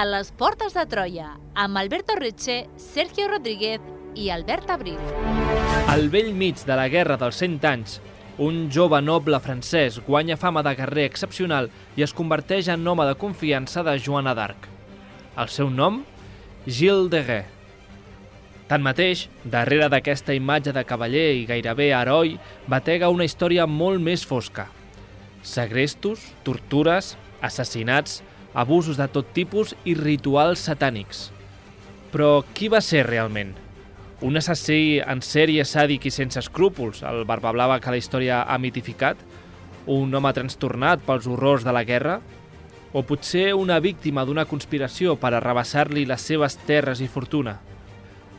A les portes de Troia, amb Alberto Retxe, Sergio Rodríguez i Albert Abril. Al vell mig de la Guerra dels 100 anys, un jove noble francès guanya fama de guerrer excepcional i es converteix en home de confiança de Joana d'Arc. El seu nom? Gilles de Rais. Tanmateix, darrere d'aquesta imatge de cavaller i gairebé heroi, batega una història molt més fosca. Segrestos, tortures, assassinats, abusos de tot tipus i rituals satànics. Però qui va ser realment? Un assassí en sèrie sàdic i sense escrúpols, el barbablava que la història ha mitificat? Un home trastornat pels horrors de la guerra? O potser una víctima d'una conspiració per arrabassar-li les seves terres i fortuna?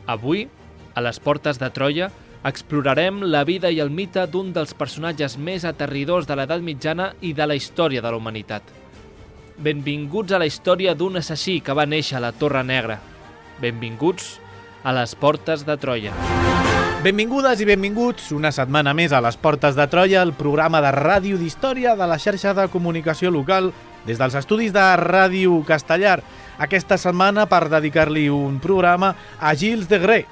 Avui, a les portes de Troia, explorarem la vida i el mite d'un dels personatges més aterridors de l'edat mitjana i de la història de la humanitat. Benvinguts a la història d'un assassí que va néixer a la Torre Negra. Benvinguts a les portes de Troia. Benvingudes i benvinguts una setmana més a les portes de Troia, el programa de ràdio d'història de la xarxa de comunicació local des dels estudis de Ràdio Castellar. Aquesta setmana per dedicar-li un programa a Gilles de Rais.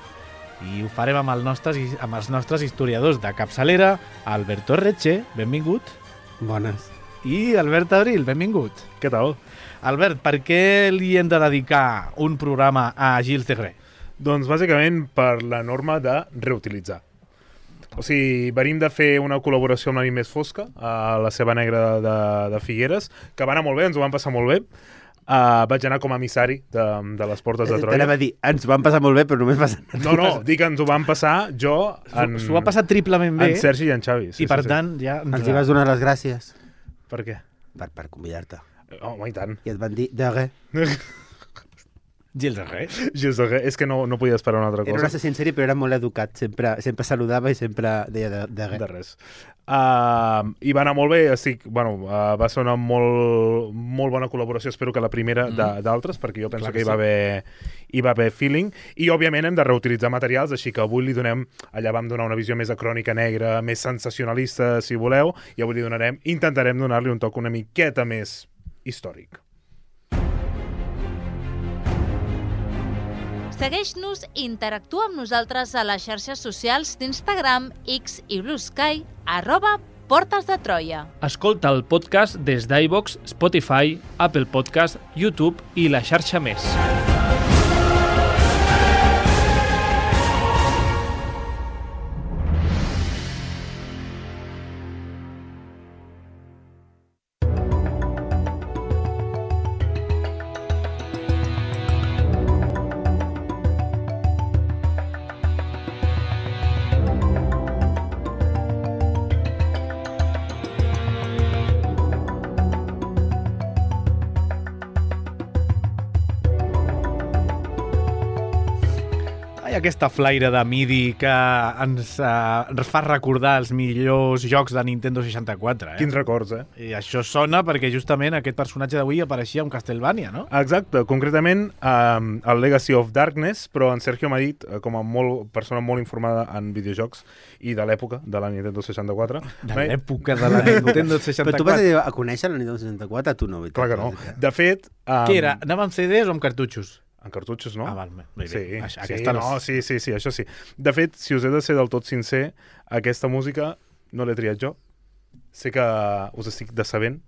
I ho farem amb els nostres historiadors de capçalera, Alberto Retxe, benvingut. Bones. I Albert Abril, benvingut. Què tal? Albert, per què li hem de dedicar un programa a Gilles de Rais? Doncs bàsicament per la norma de reutilitzar. O sigui, venim de fer una col·laboració amb la nit més fosca, a la Ceba Negra de Figueres, que va anar molt bé, ens ho van passar molt bé. Vaig anar com a emissari de les portes de Troia. T'anava a dir, ens van passar molt bé, però només va... No, dic que ens ho van passar jo... S'ho va passar triplement bé. En Sergi i en Xavi. I per tant, ja... Els hi vas donar les gràcies. Per què? Per convidar-te. Home, i tant. I et van dir, de res. Gilles de Rais. Gilles de Rais. És que no podia esperar una altra cosa. Era un assassí en sèrie, però era molt educat. Sempre saludava i sempre deia de res. De res. I va anar molt bé. Va ser una molt bona col·laboració. Espero que la primera d'altres, perquè jo penso que hi va haver feeling. I, òbviament, hem de reutilitzar materials, així que avui li donem... Allà vam donar una visió més de crònica negra, més sensacionalista, si voleu, i avui intentarem donar-li un toc una miqueta més històric. Segueix-nos i interactua amb nosaltres a les xarxes socials d'Instagram, X i Blue Sky, @Portes de Troia. Escolta el podcast des d'iVoox, Spotify, Apple Podcast, YouTube i la xarxa més. Aquesta flaire de MIDI que ens fa recordar els millors jocs de Nintendo 64. Quins records, I això sona perquè justament aquest personatge d'avui apareixia en Castlevania, no? Exacte, concretament el Legacy of Darkness, però en Sergio m'ha dit, com a persona molt informada en videojocs i de l'època de la Nintendo 64. De l'època de la Nintendo 64. Però tu vas a conèixer la Nintendo 64? Tu no. Clar que no. De fet... Què era? Anava amb CDs o amb cartutxos? En cartutxos, no? Val, bé. Sí, això sí. De fet, si us he de ser del tot sincer, aquesta música no l'he triat jo. Sé que us estic decebent,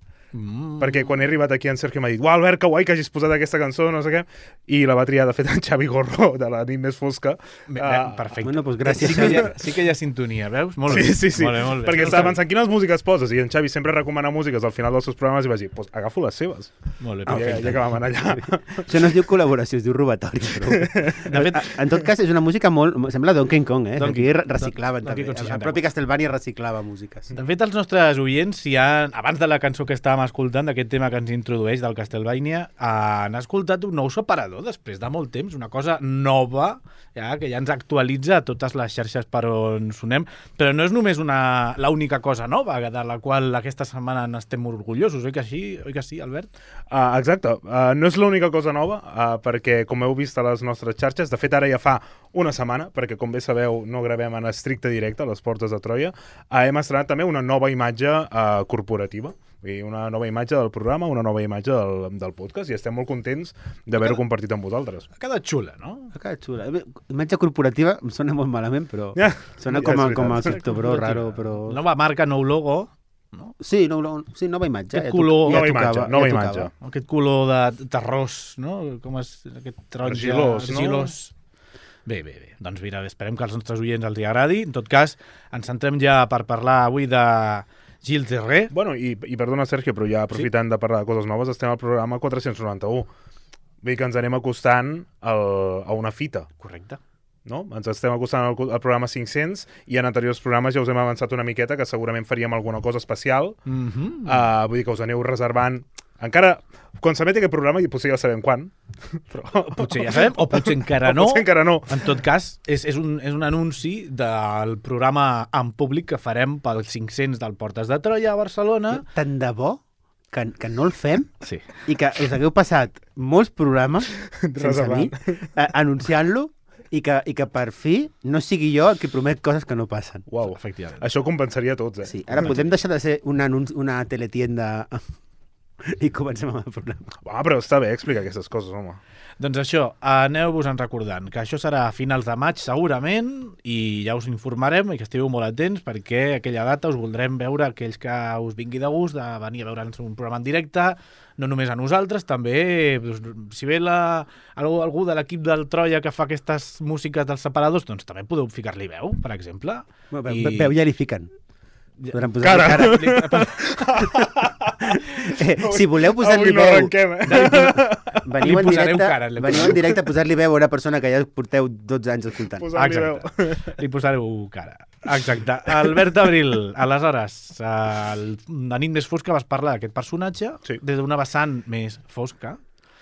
perquè quan he arribat aquí en Sergio m'ha dit Albert, que guai que hagis posat aquesta cançó, no sé què, i la va triar, de fet, en Xavi Gorro, de la nit més fosca. Perfecte. Bueno, doncs gràcies. Sí que hi ha sintonia, veus? Molt bé. Sí. Molt bé. Perquè estava pensant quines músiques poses, i en Xavi sempre recomana músiques al final dels seus programes i va dir, agafo les seves. Molt bé, perfecte. Ja que vam anar allà. Això no es diu col·laboració, es diu robatori. Però... En tot cas, és una música molt... Sembla Donkey Kong, Aquí reciclaven també. El propi Castlevania reciclava músiques. De fet, els nostres oients, abans de la cançó que estàvem escoltant, d'aquest tema que ens introdueix del Castlevania, han escoltat un nou separador després de molt temps, una cosa nova, que ja ens actualitza a totes les xarxes per on sonem, però no és només l'única cosa nova de la qual aquesta setmana n'estem orgullosos, oi que sí, Albert? Exacte, no és l'única cosa nova, perquè com heu vist a les nostres xarxes, de fet ara ja fa una setmana, perquè com bé sabeu no gravem en estricte directe a les portes de Troia, hem estrenat també una nova imatge corporativa Una nova imatge del programa, una nova imatge del podcast, i estem molt contents d'haver-ho compartit amb vosaltres. Ha quedat xula, no? Ha quedat xula. Imatge corporativa em sona molt malament, però sona com a criptobro raro, però... Nova marca, nou logo... No? Sí, nova imatge. Aquest color... Nova imatge. Aquest color de terrós, no? Com és aquest taronja... Argilós. Bé. Doncs mira, esperem que als nostres oients els agradi. En tot cas, ens centrem ja per parlar avui de Gilles de Ré. Bueno, i perdona, Sergio, però ja aprofitant de parlar de coses noves, estem al programa 491. Vull dir que ens anem acostant a una fita. Correcte. No? Ens estem acostant al programa 500 i en anteriors programes ja us hem avançat una miqueta que segurament faríem alguna cosa especial. Vull dir que us aneu reservant. Encara, quan s'emeti aquest programa, i potser ja sabem quan. Però... Potser ja sabem, o potser encara no. Potser encara no. En tot cas, és un anunci del programa en públic que farem pel 500 del Portes de Troia a Barcelona. Tant de bo que no el fem, sí. I que us hagueu passat molts programes sense mi, anunciant-lo, i que per fi no sigui jo el que promet coses que no passen. Uau, efectivament. Això compensaria tots, Sí, ara podem deixar de ser una teletienda i comencem amb el programa. Però està bé explicar aquestes coses, home. Doncs això, aneu-vos-en recordant que això serà a finals de maig segurament i ja us informarem i que estigueu molt atents perquè aquella data us voldrem veure aquells que us vingui de gust de venir a veure'ns un programa en directe, no només a nosaltres, també si ve algú de l'equip del Troia que fa aquestes músiques dels separadors, doncs també podeu ficar-li veu, per exemple. Veu ja li fiquen. Podran posar-li cara. Si voleu posar-li veu, veniu en directe a posar-li veu a una persona que ja porteu 12 anys escoltant. Li posareu cara. Exacte. Albert Abril, aleshores, la nit més fosca vas parlar d'aquest personatge des d'una vessant més fosca.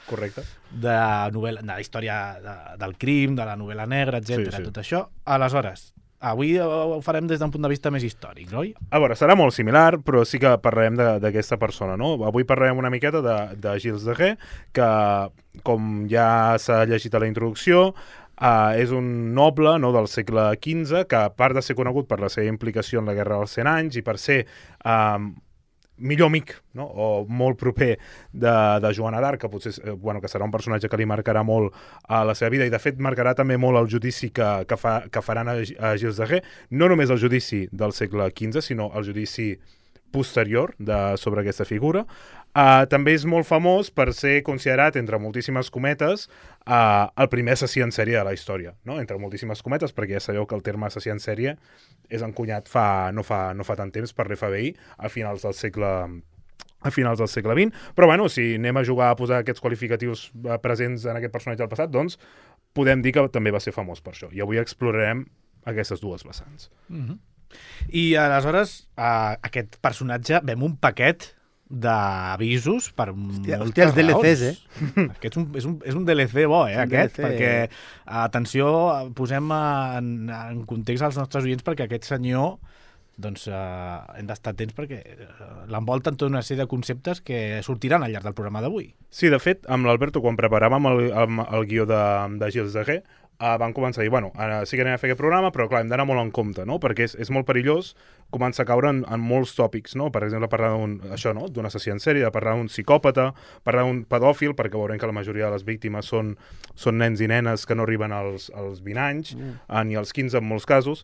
Correcte. De la història del crim, de la novel·la negra, etc. Tot això. Aleshores, avui ho farem des d'un punt de vista més històric, oi? A veure, serà molt similar, però sí que parlarem d'aquesta persona, no? Avui parlarem una miqueta de Gilles de Ré, que, com ja s'ha llegit a la introducció, és un noble, no, del segle XV, que a part de ser conegut per la seva implicació en la Guerra dels 100 anys i per ser millor amic, no? O molt proper de Joana d'Arc, que potser que serà un personatge que li marcarà molt a la seva vida i de fet marcarà també molt el judici que faran a Gilles de Ré, no només el judici del segle XV, sinó el judici posterior sobre aquesta figura. També és molt famós per ser considerat, entre moltíssimes cometes, el primer assassí en sèrie de la història, no? Entre moltíssimes cometes, perquè ja sabeu que el terme assassí en sèrie és encunyat no fa tant temps per l'FBI, a finals del segle XX, però bueno, si anem a jugar a posar aquests qualificatius presents en aquest personatge del passat, doncs podem dir que també va ser famós per això, i avui explorarem aquestes dues vessants. I aleshores, aquest personatge vem un paquet d'avisos per moltes raons. Els DLCs, Aquest és un DLC bo, aquest, perquè, atenció, posem en context als nostres oients perquè aquest senyor, doncs, hem d'estar atents perquè l'envolten tota una sèrie de conceptes que sortiran al llarg del programa d'avui. Sí, de fet, amb l'Alberto, quan preparàvem el guió de Gilles de Ré, van començar a dir, ara sí que anem a fer aquest programa, però clar, hem d'anar molt en compte, no? Perquè és molt perillós començar a caure en molts tòpics, no? Per exemple, parlar d'un assassí en sèrie, parlar d'un psicòpata, parlar d'un pedòfil, perquè veurem que la majoria de les víctimes són nens i nenes que no arriben als 20 anys, ni als 15 en molts casos,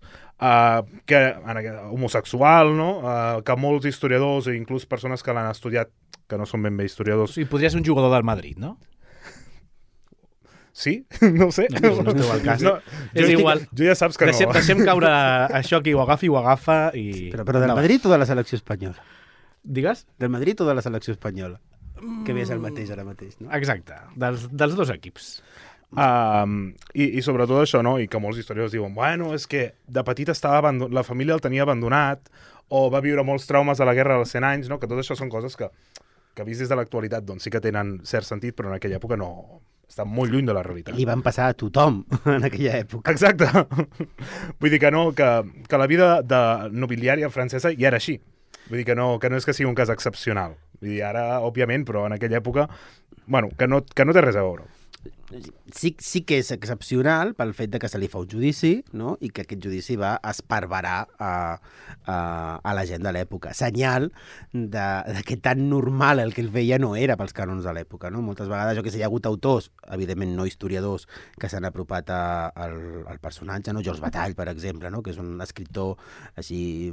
homosexual, no? Que molts historiadors, o inclús persones que l'han estudiat, que no són ben bé historiadors... O sigui, podria ser un jugador del Madrid, no? Sí? No ho sé. No esteu al cas. És igual. Jo ja saps que no. Deixem caure això, qui ho agafa i... Sí, però del Madrid o de la selecció espanyola? Digues? Del Madrid o de la selecció espanyola? Que bé és el mateix ara mateix, no? Exacte, dels dos equips. I sobretot això, no? I que molts historiadors diuen, és que de petit la família el tenia abandonat o va viure molts traumes a la Guerra dels 100 anys, no? Que tot això són coses que vist des de l'actualitat doncs sí que tenen cert sentit, però en aquella època no... Està molt lluny de la realitat. Li van passar a tothom en aquella època. Exacte. Vull dir que no, que la vida nobiliària francesa ja era així. Vull dir que no és que sigui un cas excepcional. Vull dir, ara, òbviament, però en aquella època, que no té res a veure. sí que és excepcional pel fet de que se li fa un judici, no? I que aquest judici va esparverar a la gent de l'època. Senyal de que tan normal el que ell feia no era pels cànons de l'època, no? Moltes vegades, hi ha hagut autors, evidentment no historiadors, que s'han apropat al personatge, no? George Bataille, per exemple, no? Que és un escriptor així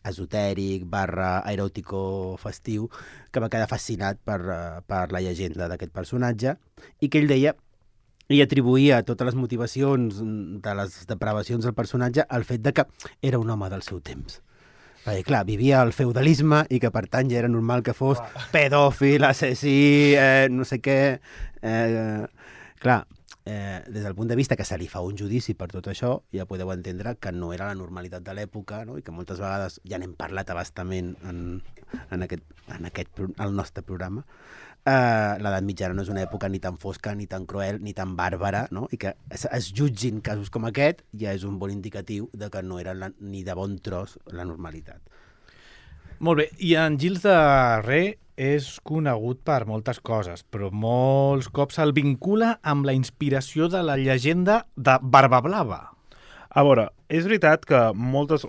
esotèric, eròtico festiu, que va quedar fascinat per la llegenda d'aquest personatge, i que ell deia i atribuïa totes les motivacions de les depravacions del personatge al fet de que era un home del seu temps. Perquè, clar, vivia al feudalisme i que, per tant, ja era normal que fos pedòfil, assassí, no sé què... Clar, des del punt de vista que se li fa un judici per tot això, ja podeu entendre que no era la normalitat de l'època, no? I que moltes vegades ja n'hem parlat abastament al nostre programa. L'edat mitjana no és una època ni tan fosca, ni tan cruel, ni tan bàrbara, no? I que es jutgin casos com aquest ja és un bon indicatiu de que no era ni de bon tros la normalitat. Molt bé, i en Gilles de Ré és conegut per moltes coses, però molts cops se'l vincula amb la inspiració de la llegenda de Barbablava. A veure, és veritat que molts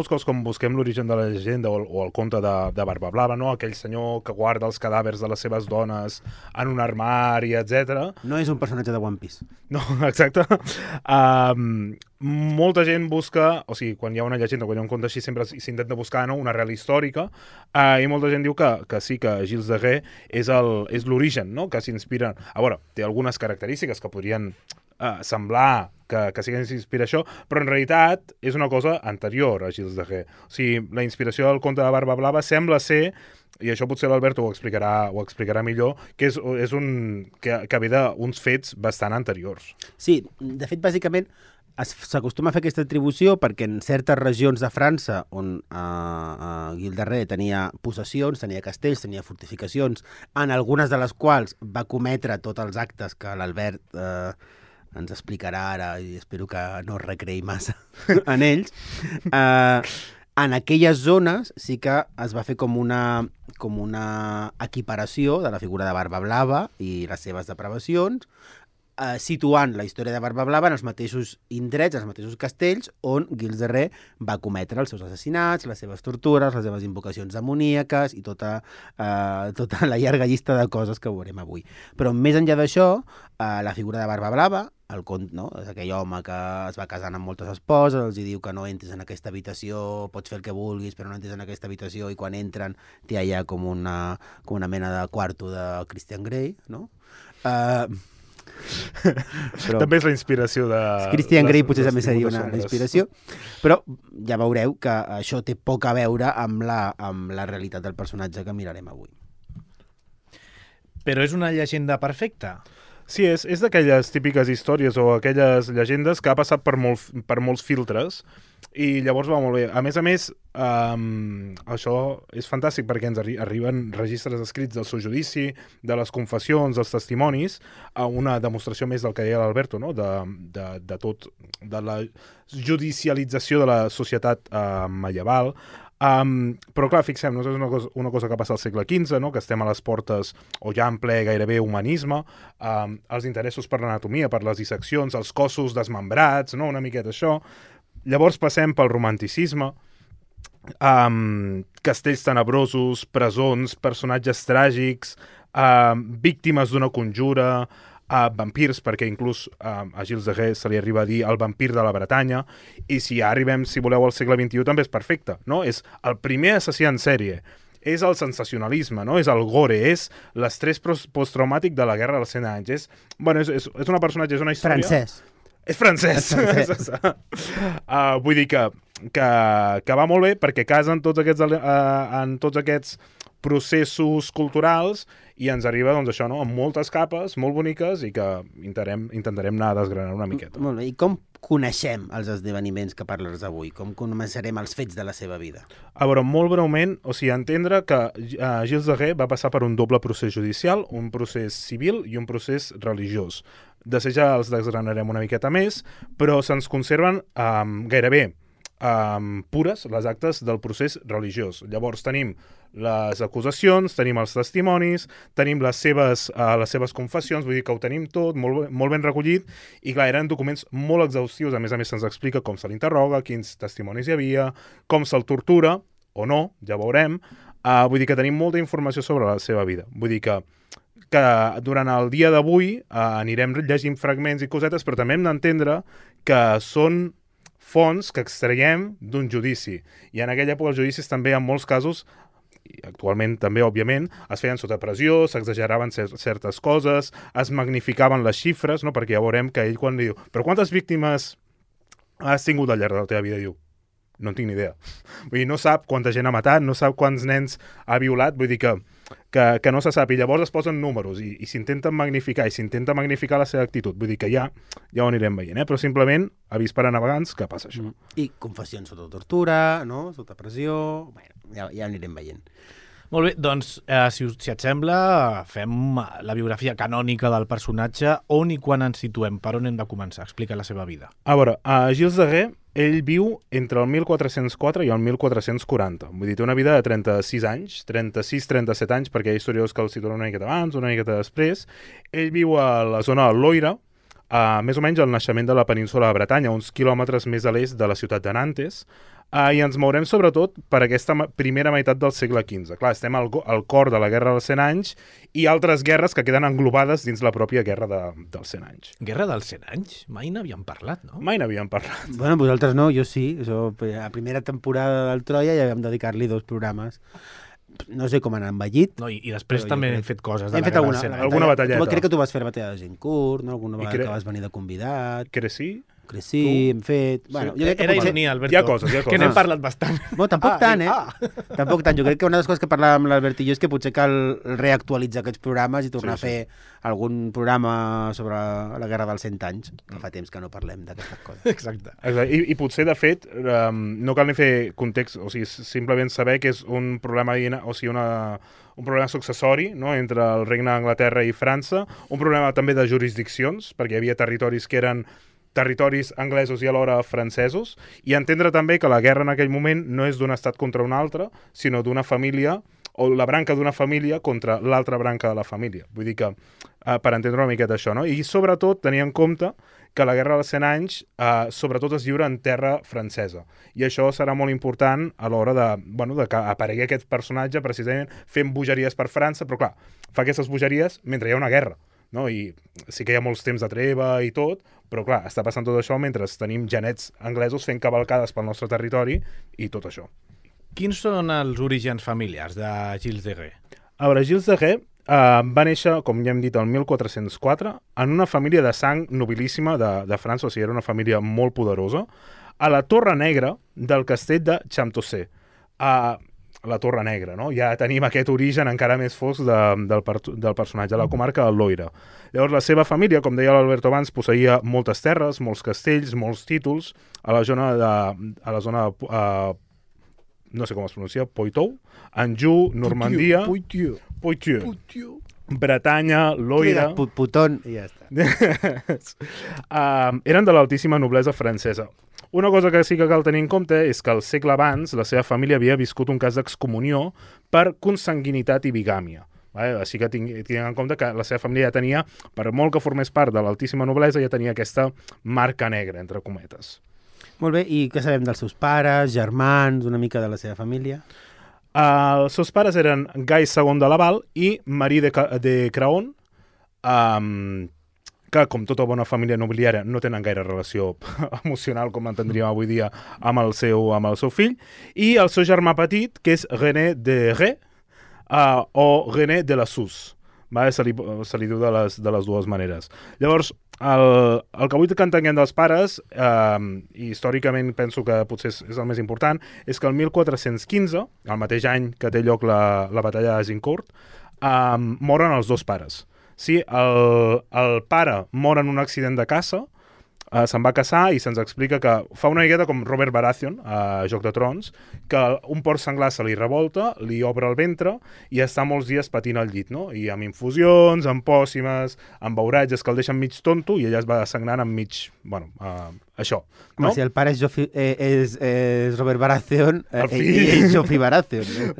cops com busquem l'origen de la llegenda o el conte de Barbablava, no? Aquell senyor que guarda els cadàvers de les seves dones en un armari, etc. No és un personatge de One Piece. No, exacte. Molta gent busca, quan hi ha una llegenda, quan hi ha un conte així, sempre s'intenta buscar, no? Una arrel històrica, i molta gent diu que sí, que Gilles de Ré és l'origen, no? Que s'inspira... A veure, té algunes característiques que podrien semblar que sí que s'inspira això, però en realitat és una cosa anterior a Gilles de Ré. La inspiració del conte de Barbablava sembla ser, i això potser l'Alberto ho explicarà millor, que que ve d'uns fets bastant anteriors. Sí, de fet, bàsicament, s'acostuma a fer aquesta atribució perquè en certes regions de França on Gilles de Ré tenia possessions, tenia castells, tenia fortificacions, en algunes de les quals va cometre tots els actes que l'Albert ens explicarà ara, i espero que no es recreï massa en ells. En aquelles zones sí que es va fer com una equiparació de la figura de Barbablava i les seves depravacions, situant la història de Barbablava en els mateixos indrets, els mateixos castells, on Gilles de Ré va cometre els seus assassinats, les seves tortures, les seves invocacions demoníaques i tota la llarga llista de coses que veurem avui. Però més enllà d'això, la figura de Barbablava, el conte, no? És aquell home que es va casant amb moltes esposes, els diu que no entres en aquesta habitació, pots fer el que vulguis, però no entres en aquesta habitació, i quan entren té allà com una mena de quarto de Christian Grey, no? Però també és la inspiració de... Christian Grey potser també seria una inspiració, però ja veureu que això té poc a veure amb la realitat del personatge que mirarem avui. Però és una llegenda perfecta? Sí, és d'aquelles típiques històries o aquelles llegendes que ha passat per molts filtres i llavors va molt bé. A més, això és fantàstic perquè ens arriben registres escrits del seu judici, de les confessions, dels testimonis, a una demostració més del que deia l'Alberto, no? de tot, de la judicialització de la societat medieval. Però clar, fixem-nos, és una cosa que passa al segle XV, no? Que estem a les portes o ja en ple gairebé humanisme, els interessos per l'anatomia, per les disseccions, els cossos desmembrats, no? Una miqueta això. Llavors passem pel romanticisme, castells tenebrosos, presons, personatges tràgics, víctimes d'una conjura, vampirs, perquè inclús a Gilles de Ré se li arriba a dir el vampir de la Bretanya, i si ja arribem, si voleu, al segle XXI també és perfecte, no? És el primer assassí en sèrie, és el sensacionalisme, no? És el gore, és l'estrès posttraumàtic de la Guerra dels 100 anys. És una personatge, és una història... Francès. És francès. Vull dir que va molt bé perquè casen en tots aquests processos culturals i ens arriba, doncs, això, no? Amb moltes capes, molt boniques, i que intentarem anar desgranant una miqueta. Molt bé. I com coneixem els esdeveniments que parles avui? Com començarem els fets de la seva vida? A veure, molt breument, entendre que Gilles de Ré va passar per un doble procés judicial, un procés civil i un procés religiós. De seguida els desgranarem una miqueta més, però se'ns conserven gairebé pures, les actes del procés religiós. Llavors tenim les acusacions, tenim els testimonis, tenim les seves confessions, vull dir que ho tenim tot molt ben recollit, i clar, eren documents molt exhaustius, a més se'ns explica com se l'interroga, quins testimonis hi havia, com se'l tortura, o no, ja veurem. Vull dir que tenim molta informació sobre la seva vida. Vull dir que durant el dia d'avui anirem llegint fragments i cosetes, però també hem d'entendre que són fonts que extraiem d'un judici. I en aquella època els judicis també, en molts casos, i actualment també, òbviament, es feien sota pressió, s'exageraven certes coses, es magnificaven les xifres, no? Perquè ja veurem que ell quan li diu però quantes víctimes has tingut al llarg de la teva vida? Diu, no en tinc ni idea. Vull dir, no sap quanta gent ha matat, no sap quants nens ha violat, vull dir que no se sap. I llavors es posen números i s'intenten magnificar, i s'intenta magnificar la seva actitud. Vull dir que ja ho anirem veient, però simplement avís per a navegants que passa això. I confessions sota tortura, no? Sota pressió... Bueno, ja anirem veient. Molt bé, doncs, si et sembla, fem la biografia canònica del personatge. On i quan ens situem? Per on hem de començar? Explica la seva vida. A veure, Gilles de Rais, ell viu entre el 1404 i el 1440. Vull dir, té una vida de 36 anys, 36-37 anys, perquè hi ha historiadors que el situen una miqueta abans, una miqueta després. Ell viu a la zona de Loira, més o menys al naixement de la península de Bretanya, uns quilòmetres més a l'est de la ciutat de Nantes, i ens mourem sobretot per aquesta primera meitat del segle XV. Clar, estem al cor de la Guerra dels 100 anys i altres guerres que queden englobades dins la pròpia Guerra dels 100 anys. Guerra dels 100 anys? Mai n'havíem parlat, no? Mai n'havíem parlat. Bueno, vosaltres no, jo sí. A primera temporada del Troia ja vam dedicar-li 2 programes. No sé com han envellit. No, i després també hem fet coses de la Guerra dels 100 anys. Alguna batalleta. Crec que tu vas fer la batalla de Gincourt, no? Alguna vegada que vas venir de convidat. Crecí? Sí, hem fet... Bueno, sí. Era ironia, Alberto. Hi ha coses. Que n'hem parlat bastant. Bueno, tampoc tant, Tampoc tant. Jo crec que una de les coses que parlàvem amb l'Albert i jo és que potser cal reactualitzar aquests programes i tornar a fer algun programa sobre la Guerra dels 100 anys, que fa temps que no parlem d'aquestes coses. Exacte. I potser, de fet, no cal ni fer context, o sigui, simplement saber que és un problema, o sigui, un problema successori, no?, entre el Regne d'Anglaterra i França, un problema també de jurisdiccions, perquè hi havia territoris que eren territoris anglesos i alhora francesos, i entendre també que la guerra en aquell moment no és d'un estat contra un altre, sinó d'una família, o la branca d'una família contra l'altra branca de la família. Vull dir que, per entendre una miqueta això, no? I sobretot tenir en compte que la Guerra dels 100 anys sobretot es lliura en terra francesa. I això serà molt important a l'hora que aparegui aquest personatge precisament fent bogeries per França, però clar, fa aquestes bogeries mentre hi ha una guerra, no? I sí que hi ha molts temps de treva i tot, però clar, està passant tot això mentre tenim genets anglesos fent cavalcades pel nostre territori i tot això. Quins són els orígens familiars de Gilles de Rais? A veure, Gilles de Rais va néixer, com ja hem dit, el 1404, en una família de sang nobilíssima de França, o sigui, era una família molt poderosa, a la Torre Negra del castell de Champtocé. La Torre Negra, no? Ja tenim aquest origen encara més fosc del personatge, a la comarca del Loira. Llavors, la seva família, com deia l'Alberto abans, posseïa moltes terres, molts castells, molts títols, a la zona no sé com es pronuncia, Poitou, Anjou, Normandia... Poitiers. Bretanya, Loira... Puton, i ja està. Eren de l'altíssima noblesa francesa. Una cosa que sí que cal tenir en compte és que al segle abans la seva família havia viscut un cas d'excomunió per consanguinitat i bigàmia. Així que tinguem en compte que la seva família ja tenia, per molt que formés part de l'altíssima noblesa, ja tenia aquesta marca negra, entre cometes. Molt bé, i què sabem dels seus pares, germans, una mica de la seva família? Els seus pares eren Gai II de Laval i Marie de Craon, que, com tota bona família nobiliària, no tenen gaire relació emocional, com entendríem avui dia, amb el seu fill, i el seu germà petit, que és René de Rais, o René de la Suze. Se li diu de les dues maneres. Llavors, el que vull que entenguem dels pares, i històricament penso que potser és el més important, és que el 1415, el mateix any que té lloc la batalla de Gincourt, moren els dos pares. Sí, el pare mor en un accident de caça, se'n va casar i se'ns explica que fa una miqueta com Robert Baratheon a Joc de Trons, que un porc senglar se li revolta, li obre el ventre i està molts dies patint al llit, no? I amb infusions, amb pòssimes, amb beuratges que el deixen mig tonto i ella es va sagnant amb mig... això. Home, No? si el pare és Robert Baratheon, fill. és Joffrey Baratheon. No?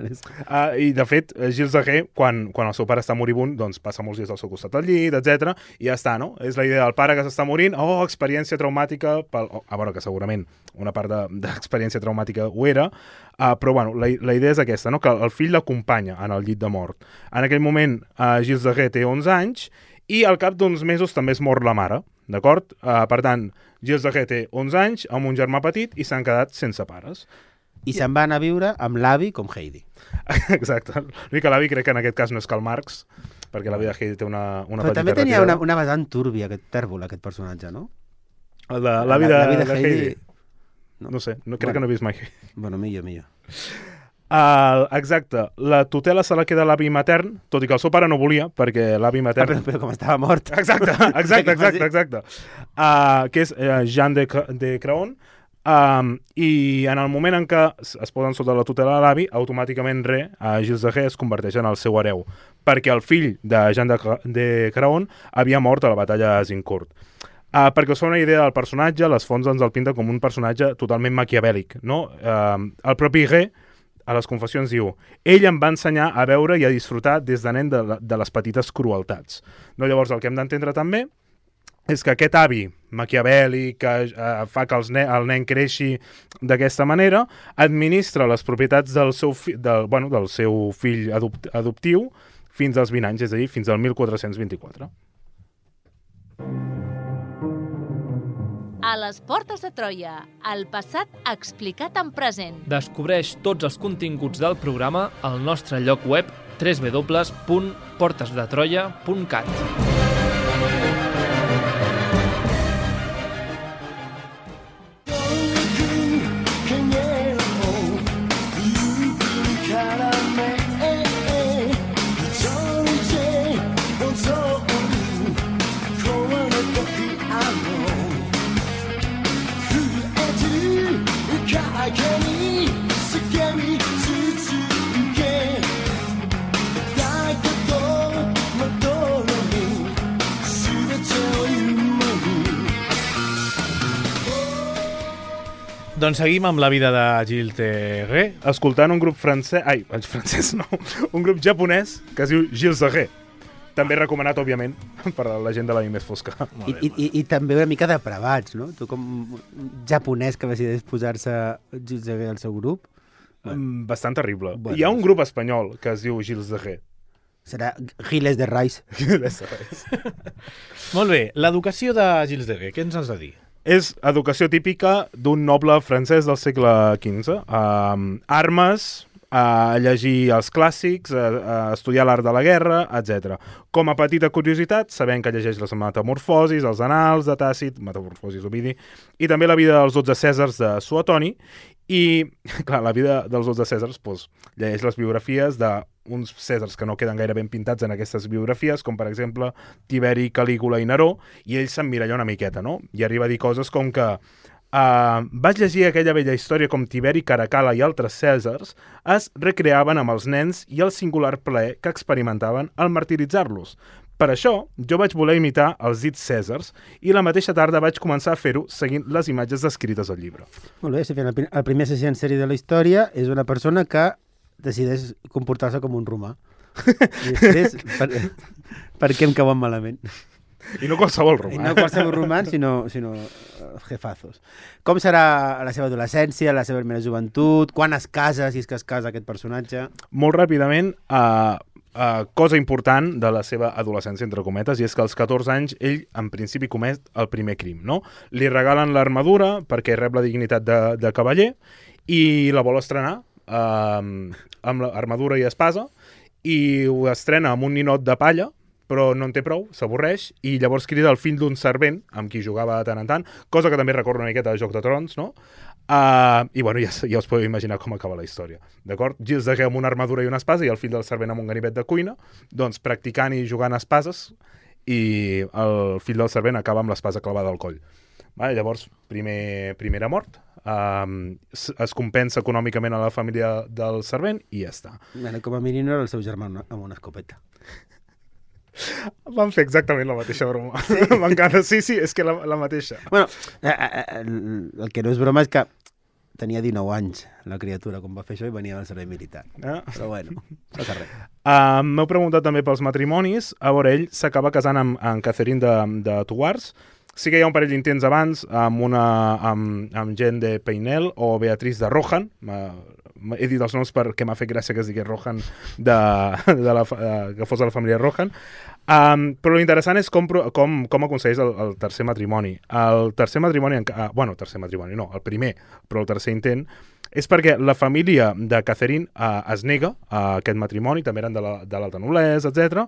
I, de fet, Gilles de Ré, quan el seu pare està moribund, doncs passa molts dies al seu costat al llit, etc. I ja està, no? És la idea del pare que s'està morint, experiència traumàtica, bueno, que segurament una part d'experiència traumàtica ho era, però bueno, la idea és aquesta, no? Que el fill l'acompanya en el llit de mort. En aquell moment, Gilles de Ré té 11 anys i al cap d'uns mesos també es mor la mare, d'acord? Per tant, Gilles de Ré té 11 anys, amb un germà petit, i s'han quedat sense pares. I se'n van a viure amb l'avi com Heidi. Exacte. L'únic que l'avi crec que en aquest cas no és Karl Marx, perquè l'avi de Heidi té una Però petita també tenia retirada. una vessant túrbia, aquest tèrbol, aquest personatge, no? L'avi de Heidi. No sé, crec que no he vist mai. Bueno, millor. Exacte, la tutela se la queda l'avi matern, tot i que el seu pare no volia, perquè l'avi matern... Però com estava mort. Exacte. Que és Jean de Craon, i en el moment en què es posen sota la tutela de l'avi, automàticament Gilles de Ré es converteix en el seu hereu, perquè el fill de Jean de Craon havia mort a la batalla d'Azincourt. Perquè us fa una idea del personatge, les fonts ens el pinten com un personatge totalment maquiavèlic, no? El propi Ré, a les confessions, diu: ell em va ensenyar a veure i a disfrutar des de nen de les petites crueltats. No? Llavors, el que hem d'entendre també és que aquest avi maquiavèlic que fa que el nen creixi d'aquesta manera, administra les propietats del seu fill adoptiu fins als 20 anys, és a dir, fins al 1424. A les portes de Troia, el passat explicat en present. Descobreix tots els continguts del programa al nostre lloc web www.portesdetroia.cat. Doncs seguim amb la vida de Gilles de Ré. Escoltant un grup francès... un grup japonès que es diu Gilles de Ré. També recomanat, òbviament, per la gent de la més fosca. I també una mica depravats, no? Tu com japonès que decideix posar-se Gilles de Ré al seu grup. Bastant terrible. Bueno, hi ha un grup espanyol que es diu Gilles de Ré. Serà Gilles de Reis. Molt bé, l'educació de Gilles de Ré, què ens has de dir? És educació típica d'un noble francès del segle XV. Armes, llegir els clàssics, estudiar l'art de la guerra, etc. Com a petita curiositat, sabem que llegeix les Metamorfosis, els Annals de Tàcit, Metamorfosis d'Ovidi, i també la vida dels 12 Cèsars de Suetoni. I, clar, la vida dels 12 Cèsars llegeix les biografies d'uns Cèsars que no queden gaire ben pintats en aquestes biografies, com per exemple Tiberi, Calígula i Neró, i ell s'emmiralla una miqueta, no? I arriba a dir coses com que vaig llegir aquella vella història com Tiberi, Caracalla i altres Cèsars es recreaven amb els nens i el singular plaer que experimentaven al martiritzar-los. Per això, jo vaig voler imitar els dits Cèsars i la mateixa tarda vaig començar a fer-ho seguint les imatges descrites al llibre. Molt bé, el primer assassí en sèrie de la història és una persona que decideix comportar-se com un romà. I després, per què em cauen malament? I no qualsevol romà. I no qualsevol romà, sinó jefazos. Com serà la seva adolescència, la seva primera joventut, quan es casa, si és que es casa aquest personatge? Molt ràpidament, cosa important de la seva adolescència, entre cometes, i és que als 14 anys ell, en principi, comet el primer crim, no? Li regalen l'armadura perquè rep la dignitat de cavaller i la vol estrenar amb l'armadura i espasa, i ho estrena amb un ninot de palla, però no en té prou, s'avorreix, i llavors crida el fill d'un servent, amb qui jugava de tant en tant, cosa que també recorda una miqueta de Joc de Trons, no? I bueno, ja us podeu imaginar com acaba la història, d'acord? Gilles de Ré amb una armadura i una espasa i el fill del servent amb un ganivet de cuina, doncs practicant i jugant a espases, i el fill del servent acaba amb l'espasa clavada al coll. Llavors, primera mort, es compensa econòmicament a la família del servent i ja està. Com a mínim no era el seu germà amb una escopeta. Van fer exactament la mateixa broma. Sí? M'encanta, sí, és que la mateixa. Bueno, el que no és broma és que tenia 19 anys la criatura quan va fer això i venia del servei militar. Però bueno, no passa res. M'heu preguntat també pels matrimonis. A veure, ell s'acaba casant amb Catherine de Thouars. Sí que hi ha un parell d'intents abans amb Jeanne de Peynel o Beatrice de Rohan. He dit els noms perquè m'ha fet gràcia que es digués Rohan que fos de la família Rohan. Però l'interessant és com aconsegueix el tercer matrimoni. El tercer matrimoni, tercer matrimoni no, el primer, però el tercer intent, és perquè la família de Catherine es nega a aquest matrimoni, també eren de l'alta noblesa, etc.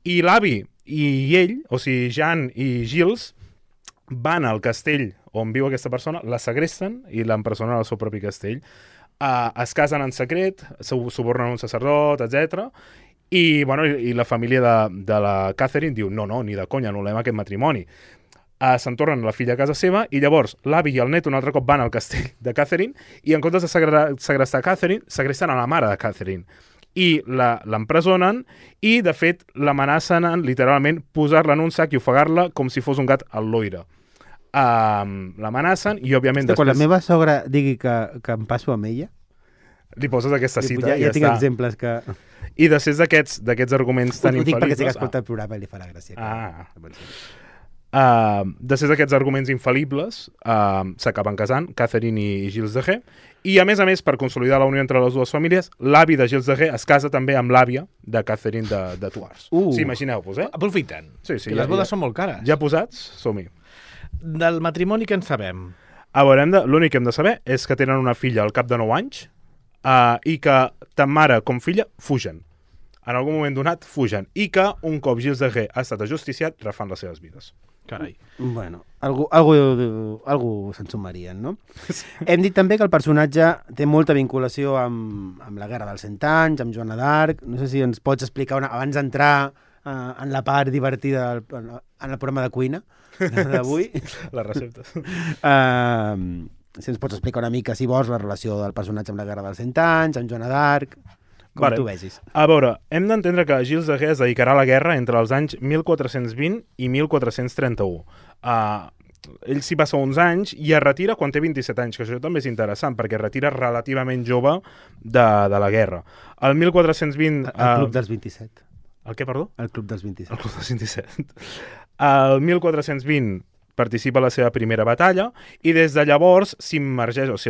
I l'avi i ell, o sigui, Jeanne i Gilles, van al castell on viu aquesta persona, la segresten i l'empresonen al seu propi castell. Es casen en secret, subornen un sacerdot, etc. I la família de la Catherine diu no, ni de conya, anul·lem aquest matrimoni. Se'n tornen la filla a casa seva i llavors l'avi i el net un altre cop van al castell de Catherine i en comptes de segrestar Catherine, segresten a la mare de Catherine. I l'empresonen i, de fet, l'amenacen en, literalment, posar-la en un sac i ofegar-la com si fos un gat al loira. L'amenacen i, òbviament, després... Quan la meva sogra digui que em passo amb ella... Li poses aquesta cita i ja tinc exemples que... I després d'aquests arguments tan infal·libles... Ho dic perquè sí que escolta el programa i li farà gràcia. Després d'aquests arguments infal·libles s'acaben casant Catherine i Gilles de Retz i a més, per consolidar la unió entre les dues famílies, l'avi de Gilles de Retz es casa també amb l'àvia de Catherine de Thouars. Sí, imagineu-vos, Aprofiten. Sí, que les bodes són molt cares. Ja posats? Som-hi. Del matrimoni que en sabem? A veure, l'únic que hem de saber és que tenen una filla al cap de 9 anys i que tant mare com filla fugen. En algun moment donat fugen. I que un cop Gilles de Retz ha estat ajusticiat, refan les seves vides. Carai. Bueno, algú se'n sumarien, no? Hem dit també que el personatge té molta vinculació amb la Guerra dels 100 anys, amb Joana d'Arc. No sé si ens pots explicar, abans d'entrar en la part divertida, en el programa de cuina d'avui. Les receptes. Si ens pots explicar una mica, si vols, la relació del personatge amb la Guerra dels 100 anys, amb Joana d'Arc... Com tu vegis. A veure, hem d'entendre que Gilles de Retz es dedicarà a la guerra entre els anys 1420 i 1431. Ell s'hi passa uns anys i es retira quan té 27 anys, que això també és interessant, perquè es retira relativament jove de la guerra. El 1420... El Club dels 27. El què, perdó? El Club dels 27. El Club dels 27. El 1420 participa a la seva primera batalla i des de llavors es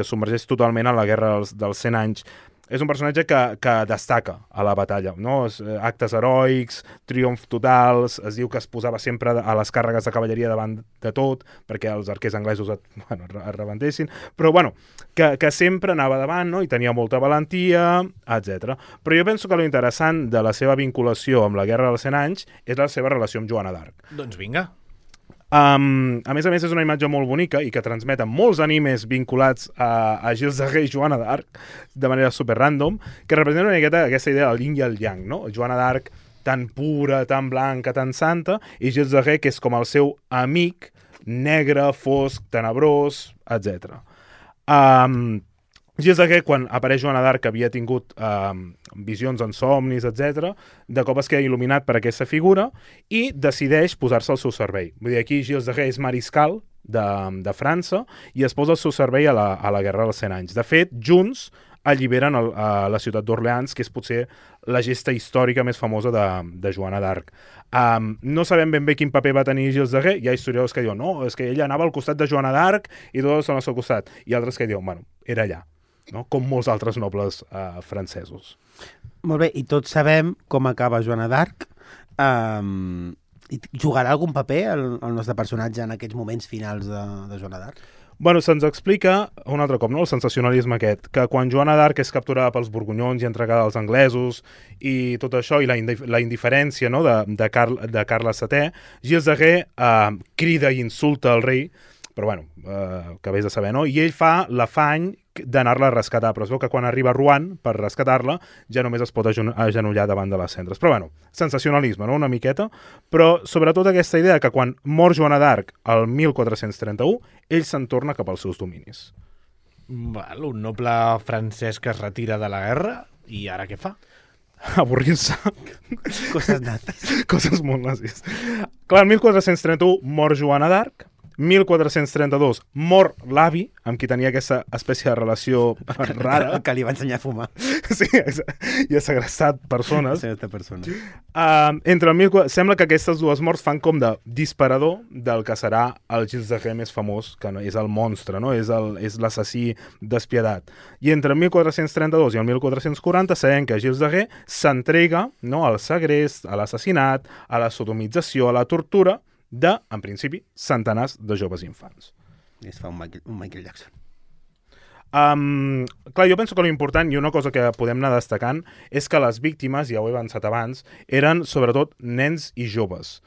submergeix totalment en la guerra dels 100 anys. És un personatge que destaca a la batalla, no? Actes heroics, triomf totals, es diu que es posava sempre a les càrregues de cavalleria davant de tot, perquè els arquers anglesos es rebentessin, però que sempre anava davant, no? I tenia molta valentia, etc. Però jo penso que l'interessant de la seva vinculació amb la Guerra dels 100 anys és la seva relació amb Joana d'Arc. Doncs vinga. A més, és una imatge molt bonica i que transmeten molts animes vinculats a Gilles de Retz i Joana d'Arc de manera super random, que representa una miqueta aquesta idea del yin i el yang, no? Joana d'Arc tan pura, tan blanca, tan santa, i Gilles de Retz que és com el seu amic negre, fosc, tenebrós, etc. Gilles de Retz, quan apareix Joana d'Arc, havia tingut visions en somnis, etc. De cop es queda il·luminat per aquesta figura i decideix posar-se al seu servei. Vull dir, aquí Gilles de Retz és mariscal de França i es posa al seu servei a la Guerra dels 100 anys. De fet, junts alliberen la ciutat d'Orleans, que és potser la gesta històrica més famosa de Joana d'Arc. No sabem ben bé quin paper va tenir Gilles de Retz. Hi ha historiadors que diuen no, és que ella anava al costat de Joana d'Arc i tots són al seu costat. I altres que diuen, bueno, era allà. No? Com molts altres nobles francesos. Molt bé, i tots sabem com acaba Joana d'Arc. Jugarà algun paper el nostre personatge en aquests moments finals de Joana d'Arc? Bueno, se'ns explica un altre cop, no? El sensacionalisme aquest, que quan Joana d'Arc és capturada pels borgonyons i entregada als anglesos i tot això, i la indiferència, no? de Carles VII, Gilles de Retz crida i insulta el rei, però bueno, que hagués de saber, no? I ell fa l'afany d'anar-la a rescatar, però es veu que quan arriba a Rouen per rescatar-la ja només es pot agenollar davant de les cendres. Però bueno, sensacionalisme, no? Una miqueta, però sobretot aquesta idea que quan mor Joana d'Arc el 1431, ell se'n torna cap als seus dominis. Un noble francès que es retira de la guerra, i ara què fa? avorrir-se. Coses nazis. Coses molt nazis. Clar, el 1431 mor Joana d'Arc, 1432 mor l'avi, amb qui tenia aquesta espècie de relació rara. Que li va ensenyar a fumar. Sí, i ha segrestat persones. Aquesta persona. Sembla que aquestes dues morts fan com de disparador del que serà el Gilles de Ré més famós, que és el monstre, no? És l'assassí despiedat. I entre el 1432 i el 1440 sabem que Gilles de Ré s'entrega, no, al segrest, a l'assassinat, a la sodomització, a la tortura en principi, centenars de joves infants. I es fa un Michael Jackson. Clar, jo penso que l'important i una cosa que podem anar destacant és que les víctimes, ja ho he avançat abans, eren sobretot nens i joves,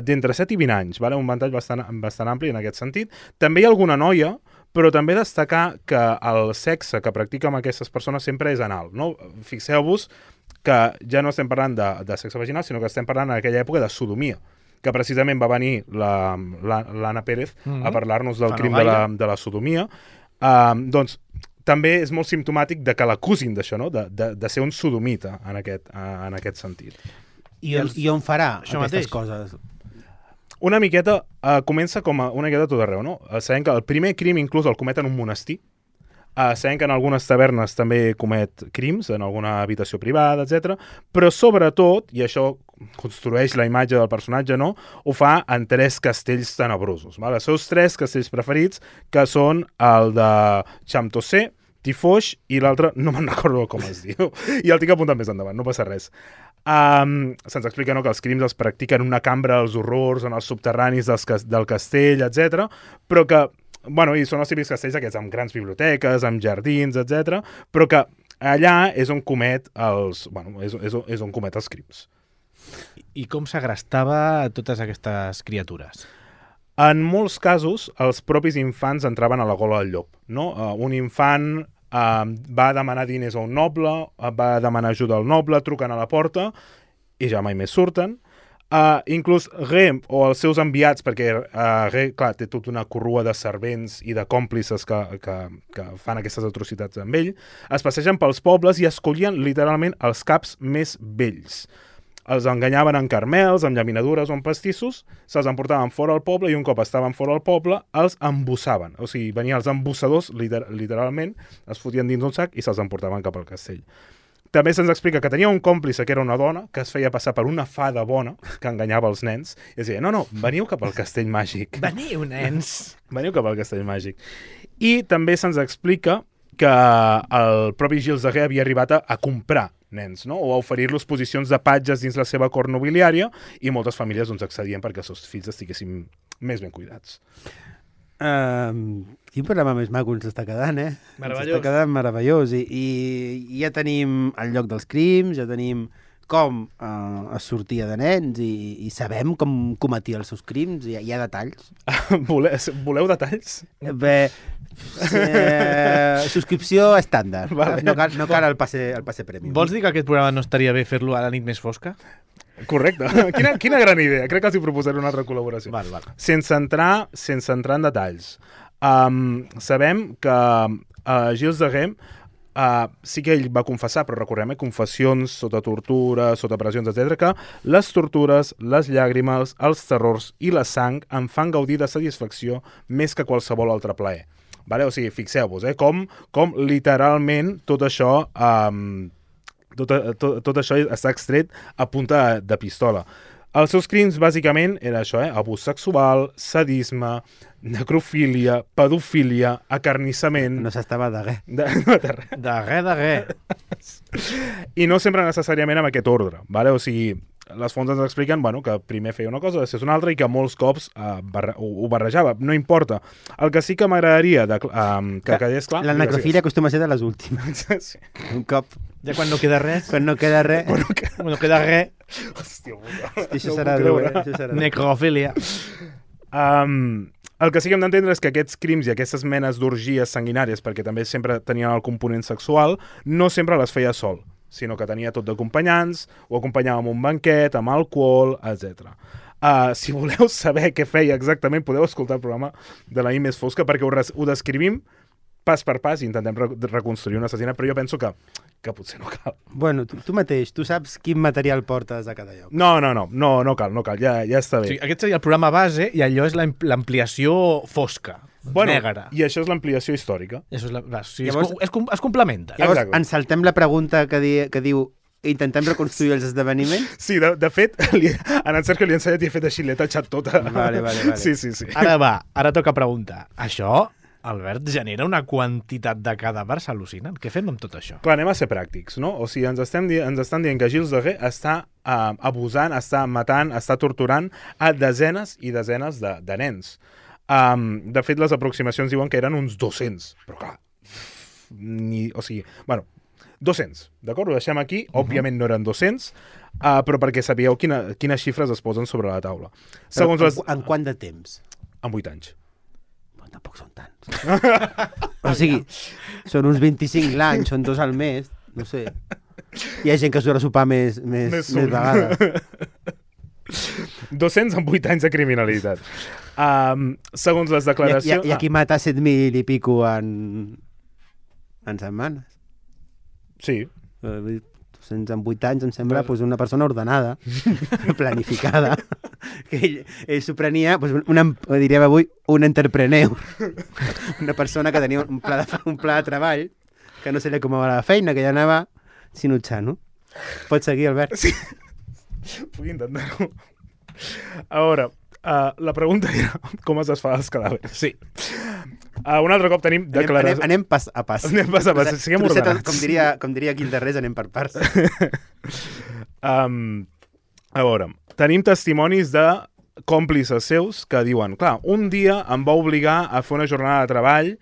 d'entre 7 i 20 anys, vale? Un ventall bastant ampli en aquest sentit. També hi ha alguna noia, però també destacar que el sexe que practica amb aquestes persones sempre és anal, no? Fixeu-vos que ja no estem parlant de sexe vaginal, sinó que estem parlant en aquella època de sodomia, que precisament va venir l'Anna Pérez a parlar-nos del crim de la sodomia. Doncs també és molt simptomàtic de que l'acusin d'això, no? De ser un sodomita en aquest sentit. I on farà aquestes coses? Una miqueta, comença com una miqueta tot arreu, no? Sabem que el primer crim inclús el comet en un monestir. Sabem que en algunes tavernes també comet crims, en alguna habitació privada, etc. Però sobretot, i això construeix la imatge del personatge, no? Ho fa en 3 castells tenebrosos. Val? Els seus 3 castells preferits, que són el de Champtocé, Tifoix i l'altre, no me'n recordo com es diu, i el tinc apuntat més endavant, no passa res. Se'ns explica, no, que els crims els practiquen en una cambra dels horrors, en els subterranis del castell, etc. Però que, bueno, i són els típics castells aquests amb grans biblioteques, amb jardins, etc. Però que allà és on comet els crims. I com s'agrestava totes aquestes criatures? En molts casos, els propis infants entraven a la gola del llop, no? Un infant va demanar diners a un noble, va demanar ajuda al noble, truquen a la porta i ja mai més surten. Inclús Ré o els seus enviats, perquè Ré, clar, té tota una corrua de servents i de còmplices que fan aquestes atrocitats amb ell, es passegen pels pobles i escollien literalment els caps més vells. Els enganyaven en carmels, amb llaminadures o en pastissos, se'ls emportaven fora al poble i un cop estaven fora al poble els embussaven. O sigui, venien els embussadors, literalment, els fotien dins un sac i se'ls emportaven cap al castell. També se'ns explica que tenia un còmplice que era una dona que es feia passar per una fada bona que enganyava els nens i es deia, no, veniu cap al castell màgic. Veniu, nens! Veniu cap al castell màgic. I també se'ns explica que el propi Gilles de Ré havia arribat a comprar nens, no? O a oferir-los posicions de patges dins la seva cort nobiliària i moltes famílies doncs, accedien perquè els seus fills estiguessin més ben cuidats. Quin programa més maco ens està quedant, eh? Meravellós. Ens està quedant meravellós. I ja tenim el lloc dels crims, ja tenim com es sortia de nens i sabem com cometia els seus crims, hi ha detalls. Voleu detalls? Bé, subscripció estàndard. Vale. No cal el passe premium. Vols dir que aquest programa no estaria bé fer-lo a la nit més fosca? Correcte. Quina gran idea. Crec que els hi proposaré una altra col·laboració. Val. Sense entrar en detalls. Sabem que Gilles de Ré sí que ell va confessar, però recordem, confessions sota tortura, sota pressions, etc., que les tortures, les llàgrimes, els terrors i la sang em fan gaudir de satisfacció més que qualsevol altre plaer. Vale? O sigui, fixeu-vos, com literalment tot això està extret a punta de pistola. Els seus crims, bàsicament, era això, abús sexual, sadisme, necrofília, pedofília, acarnissament... No s'estava de res. De res. I no sempre necessàriament amb aquest ordre, vale? O sigui, les fonts ens expliquen que primer feia una cosa, després una altra, i que molts cops ho barrejava. No importa. El que sí que m'agradaria que quedés clar... La necrofília acostuma a ser de les últimes. Sí. Un cop... Ja quan no queda res... Quan no queda res... Quan no queda res... Hòstia, això serà dur, Necrofília. El que sí que hem d'entendre és que aquests crims i aquestes menes d'orgies sanguinàries, perquè també sempre tenien el component sexual, no sempre les feia sol, sinó que tenia tot d'acompanyants, o acompanyava amb un banquet, amb alcohol, etc. Si voleu saber què feia exactament, podeu escoltar el programa de la nit més fosca, perquè ho descrivim pas per pas, i intentem reconstruir un assassinat, però jo penso que potser no cal. Bueno, tu mateix, tu saps quin material portes a cada lloc. No cal, ja està bé. O sigui, aquest seria el programa base i allò és l'ampliació fosca, negra. I això és l'ampliació històrica. Això és Llavors, es complementa. Llavors, Exacte. ens saltem la pregunta que diu intentem reconstruir els esdeveniments? Sí, de fet, en el Sergio li he ensenyat i he fet així, l'he tachat tota. Vale. Sí. Ara toca preguntar. Això, Albert, genera una quantitat de cadàvers al·lucinant. Què fem amb tot això? Clar, anem a ser pràctics, no? O sigui, ens estan dient que Gilles de Ré està abusant, està matant, està torturant a desenes i desenes de nens. De fet, les aproximacions diuen que eren uns 200, però clar, 200, d'acord? Ho deixem aquí. Òbviament no eren 200, però perquè sabíeu quines xifres es posen sobre la taula. En quant de temps? En 8 anys. Bueno, tampoc són tants. O sigui, són uns 25 l'any, són 2 al mes, no sé. Hi ha gent que surt a sopar més vegades. 200 en 8 anys de criminalitat. Segons les declaracions... I aquí mata 7.000 i pico en setmanes. Sí. 200 en 8 anys em sembla una persona ordenada, planificada, que ell s'ho prenia, diríem avui, un entrepreneur. Una persona que tenia un pla de treball, que no se li acomodava la feina, que ja anava sinutxant, no? Pots seguir, Albert? Sí. Puc intentar-ho. A veure, la pregunta era com es desfà els cadàvers. Sí. Un altre cop tenim declaracions... Anem pas a pas. Anem pas a pas, siguem ordenats. Com diria Guilderrés, anem per parts. A veure, tenim testimonis de còmplices seus que diuen, clar, un dia em va obligar a fer una jornada de treball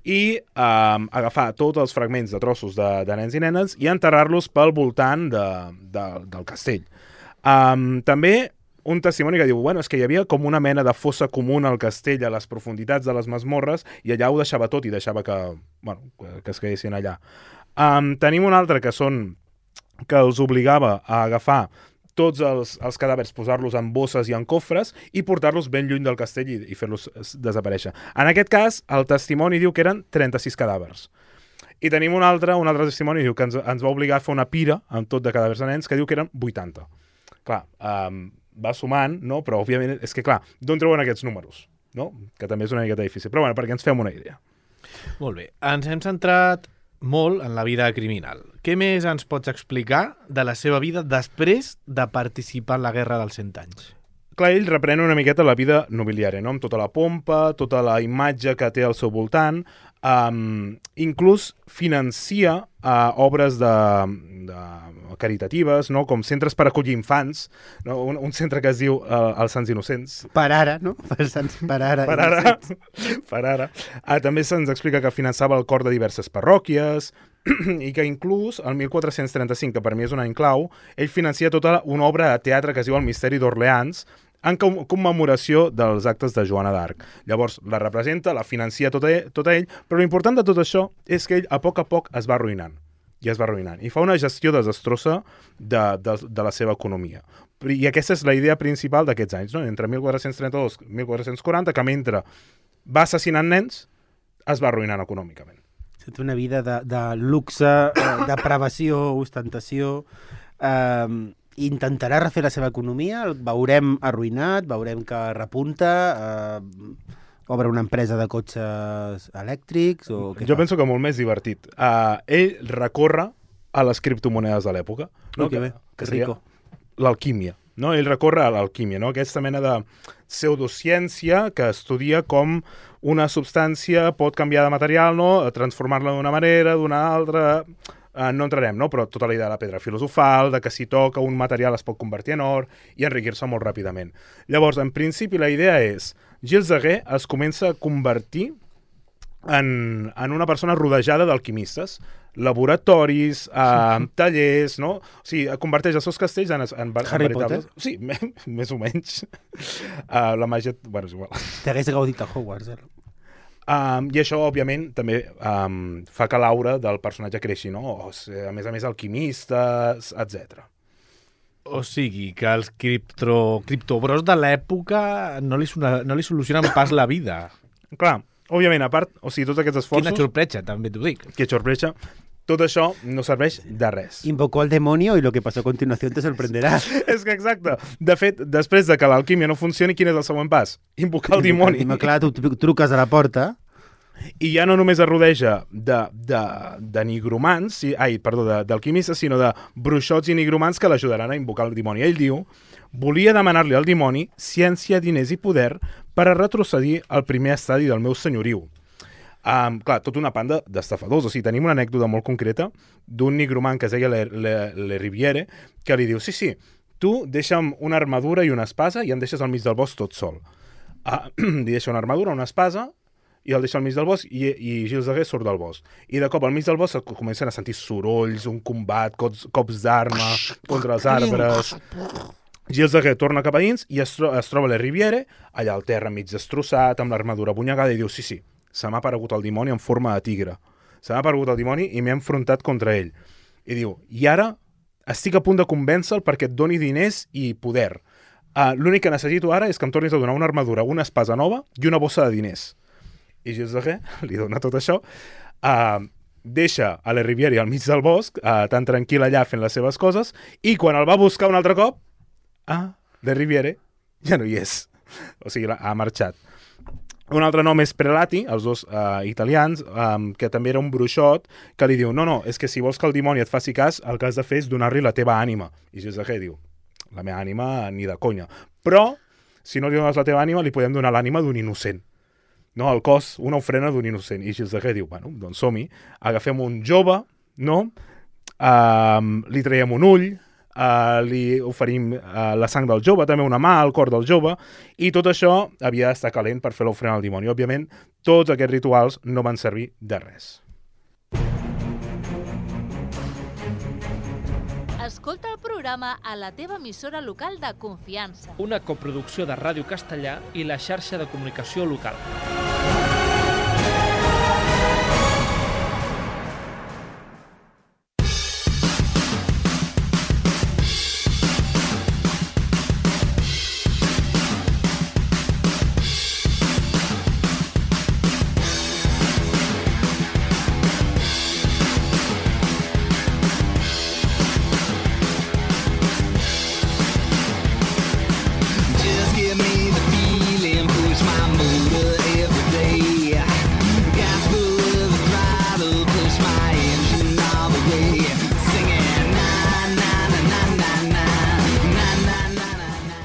i agafar tots els fragments de trossos de nens i nenes i enterrar-los pel voltant del castell. També un testimoni que diu, és que hi havia com una mena de fossa comuna al castell a les profunditats de les masmorres i allà ho deixava tot i deixava que es quedessin allà. Tenim un altre que els obligava a agafar tots els cadàvers, posar-los en bosses i en cofres i portar-los ben lluny del castell i fer-los desaparèixer. En aquest cas, el testimoni diu que eren 36 cadàvers. I tenim un altre testimoni diu que ens va obligar a fer una pira amb tot de cadàvers de nens que diu que eren 80. Clar, va sumant, no? Però òbviament és que, clar, d'on treuen aquests números? No? Que també és una miqueta difícil. Però perquè ens fem una idea. Molt bé. Ens hem centrat molt en la vida criminal. Què més ens pots explicar de la seva vida després de participar en la Guerra dels 100 anys? Clar, ell reprèn una miqueta la vida nobiliària, no? Amb tota la pompa, tota la imatge que té al seu voltant, inclús financia obres caritatives, no? Com centres per acollir infants, no? Un centre que es diu els Sants Innocents. Per ara, no? Per ara. També se'ns explica que finançava el cor de diverses parròquies i que inclús el 1435, que per mi és un any clau, ell financia tota una obra de teatre que es diu El misteri d'Orleans, en commemoració dels actes de Joana d'Arc. Llavors, la representa, la financia tot ell, però l'important de tot això és que ell a poc es va arruïnant. I es va arruïnant. I fa una gestió desastrosa de la seva economia. I aquesta és la idea principal d'aquests anys, no? Entre 1432 i 1440, que mentre va assassinant nens, es va arruïnant econòmicament. Té una vida de luxe, depravació, ostentació... Intentarà refer la seva economia, el veurem arruïnat, veurem que repunta, obre una empresa de cotxes elèctrics o què Jo fa? penso que molt més divertit. Ell recorre a les criptomonedes de l'època. No? Que bé, que rico. L'alquímia. No? Ell recorre a l'alquímia, no? Aquesta mena de pseudociència que estudia com una substància pot canviar de material, no? Transformar-la d'una manera, d'una altra... no entrarem, no? Però tota la idea de la pedra filosofal, de que si toca un material es pot convertir en or i enriquir-se molt ràpidament. Llavors, en principi, la idea és Gilles de Ré es comença a convertir en una persona rodejada d'alquimistes, laboratoris, tallers, no? O sigui, converteix els seus castells en Harry veritables... Potter? Sí, més o menys. La màgia... Bueno, és igual. T'hagués gaudit a Hogwarts, I això, òbviament, també fa que l'aura del personatge creixi, no? A més, alquimistes, etc. O sigui, que els criptobros de l'època no li solucionen pas la vida. Clar, òbviament, a part, o sigui, tots aquests esforços... Quina sorpresa, també t'ho dic. Que sorpresa. Tot això no serveix de res. Invocó al demonio y lo que pasó a continuación te sorprenderá. És que exacte. De fet, després de que l'alquímia no funcioni, quin és el següent pas? Invocar el dimoni. Clar, tu truques a la porta... I ja no només es rodeja de nigromants, d'alquimistes, sinó de bruixots i nigromants que l'ajudaran a invocar el dimoni. Ell diu, volia demanar-li al dimoni ciència, diners i poder per a retrocedir al primer estadi del meu senyoriu. Clar, tota una panda d'estafadors. O sigui, tenim una anècdota molt concreta d'un nigromant que es deia Le Riviere, que li diu, sí, tu deixa'm una armadura i una espasa i em deixes al mig del bosc tot sol. Li deixa una armadura, una espasa, i el deixa al mig del bosc i Gilles de Rais surt del bosc. I de cop al mig del bosc comencen a sentir sorolls, un combat, cops d'arma contra els arbres. Gilles de Rais torna cap a dins i es troba a la Riviere, allà al terra mig destrossat, amb l'armadura bunyagada, i diu, sí, se m'ha aparegut el dimoni en forma de tigre. Se m'ha aparegut el dimoni i m'he enfrontat contra ell. I diu, i ara estic a punt de convèncer-lo perquè et doni diners i poder. L'únic que necessito ara és que em tornis a donar una armadura, una espasa nova i una bossa de diners. I Gilles de Rais li dona tot això, deixa a la Riviere al mig del bosc, tan tranquil allà fent les seves coses, i quan el va buscar un altre cop, la Riviere ja no hi és. O sigui, ha marxat. Un altre nom és Prelati, els dos italians, que també era un bruixot, que li diu, no, és que si vols que el dimoni et faci cas, el que has de fer és donar-li la teva ànima. I Gilles de Rais diu, la meva ànima ni de conya. Però, si no li dones la teva ànima, li podem donar l'ànima d'un innocent. No, el cos, una ofrena d'un innocent. I Gilles de Rais diu, bueno, doncs som-hi, agafem un jove, no? Li traiem un ull, li oferim la sang del jove, també una mà, el cor del jove, i tot això havia d'estar calent per fer l'ofrena al dimoni. Òbviament, tots aquests rituals no van servir de res. Escolta el programa a la teva emissora local de confiança. Una coproducció de Ràdio Castellà i la xarxa de comunicació local.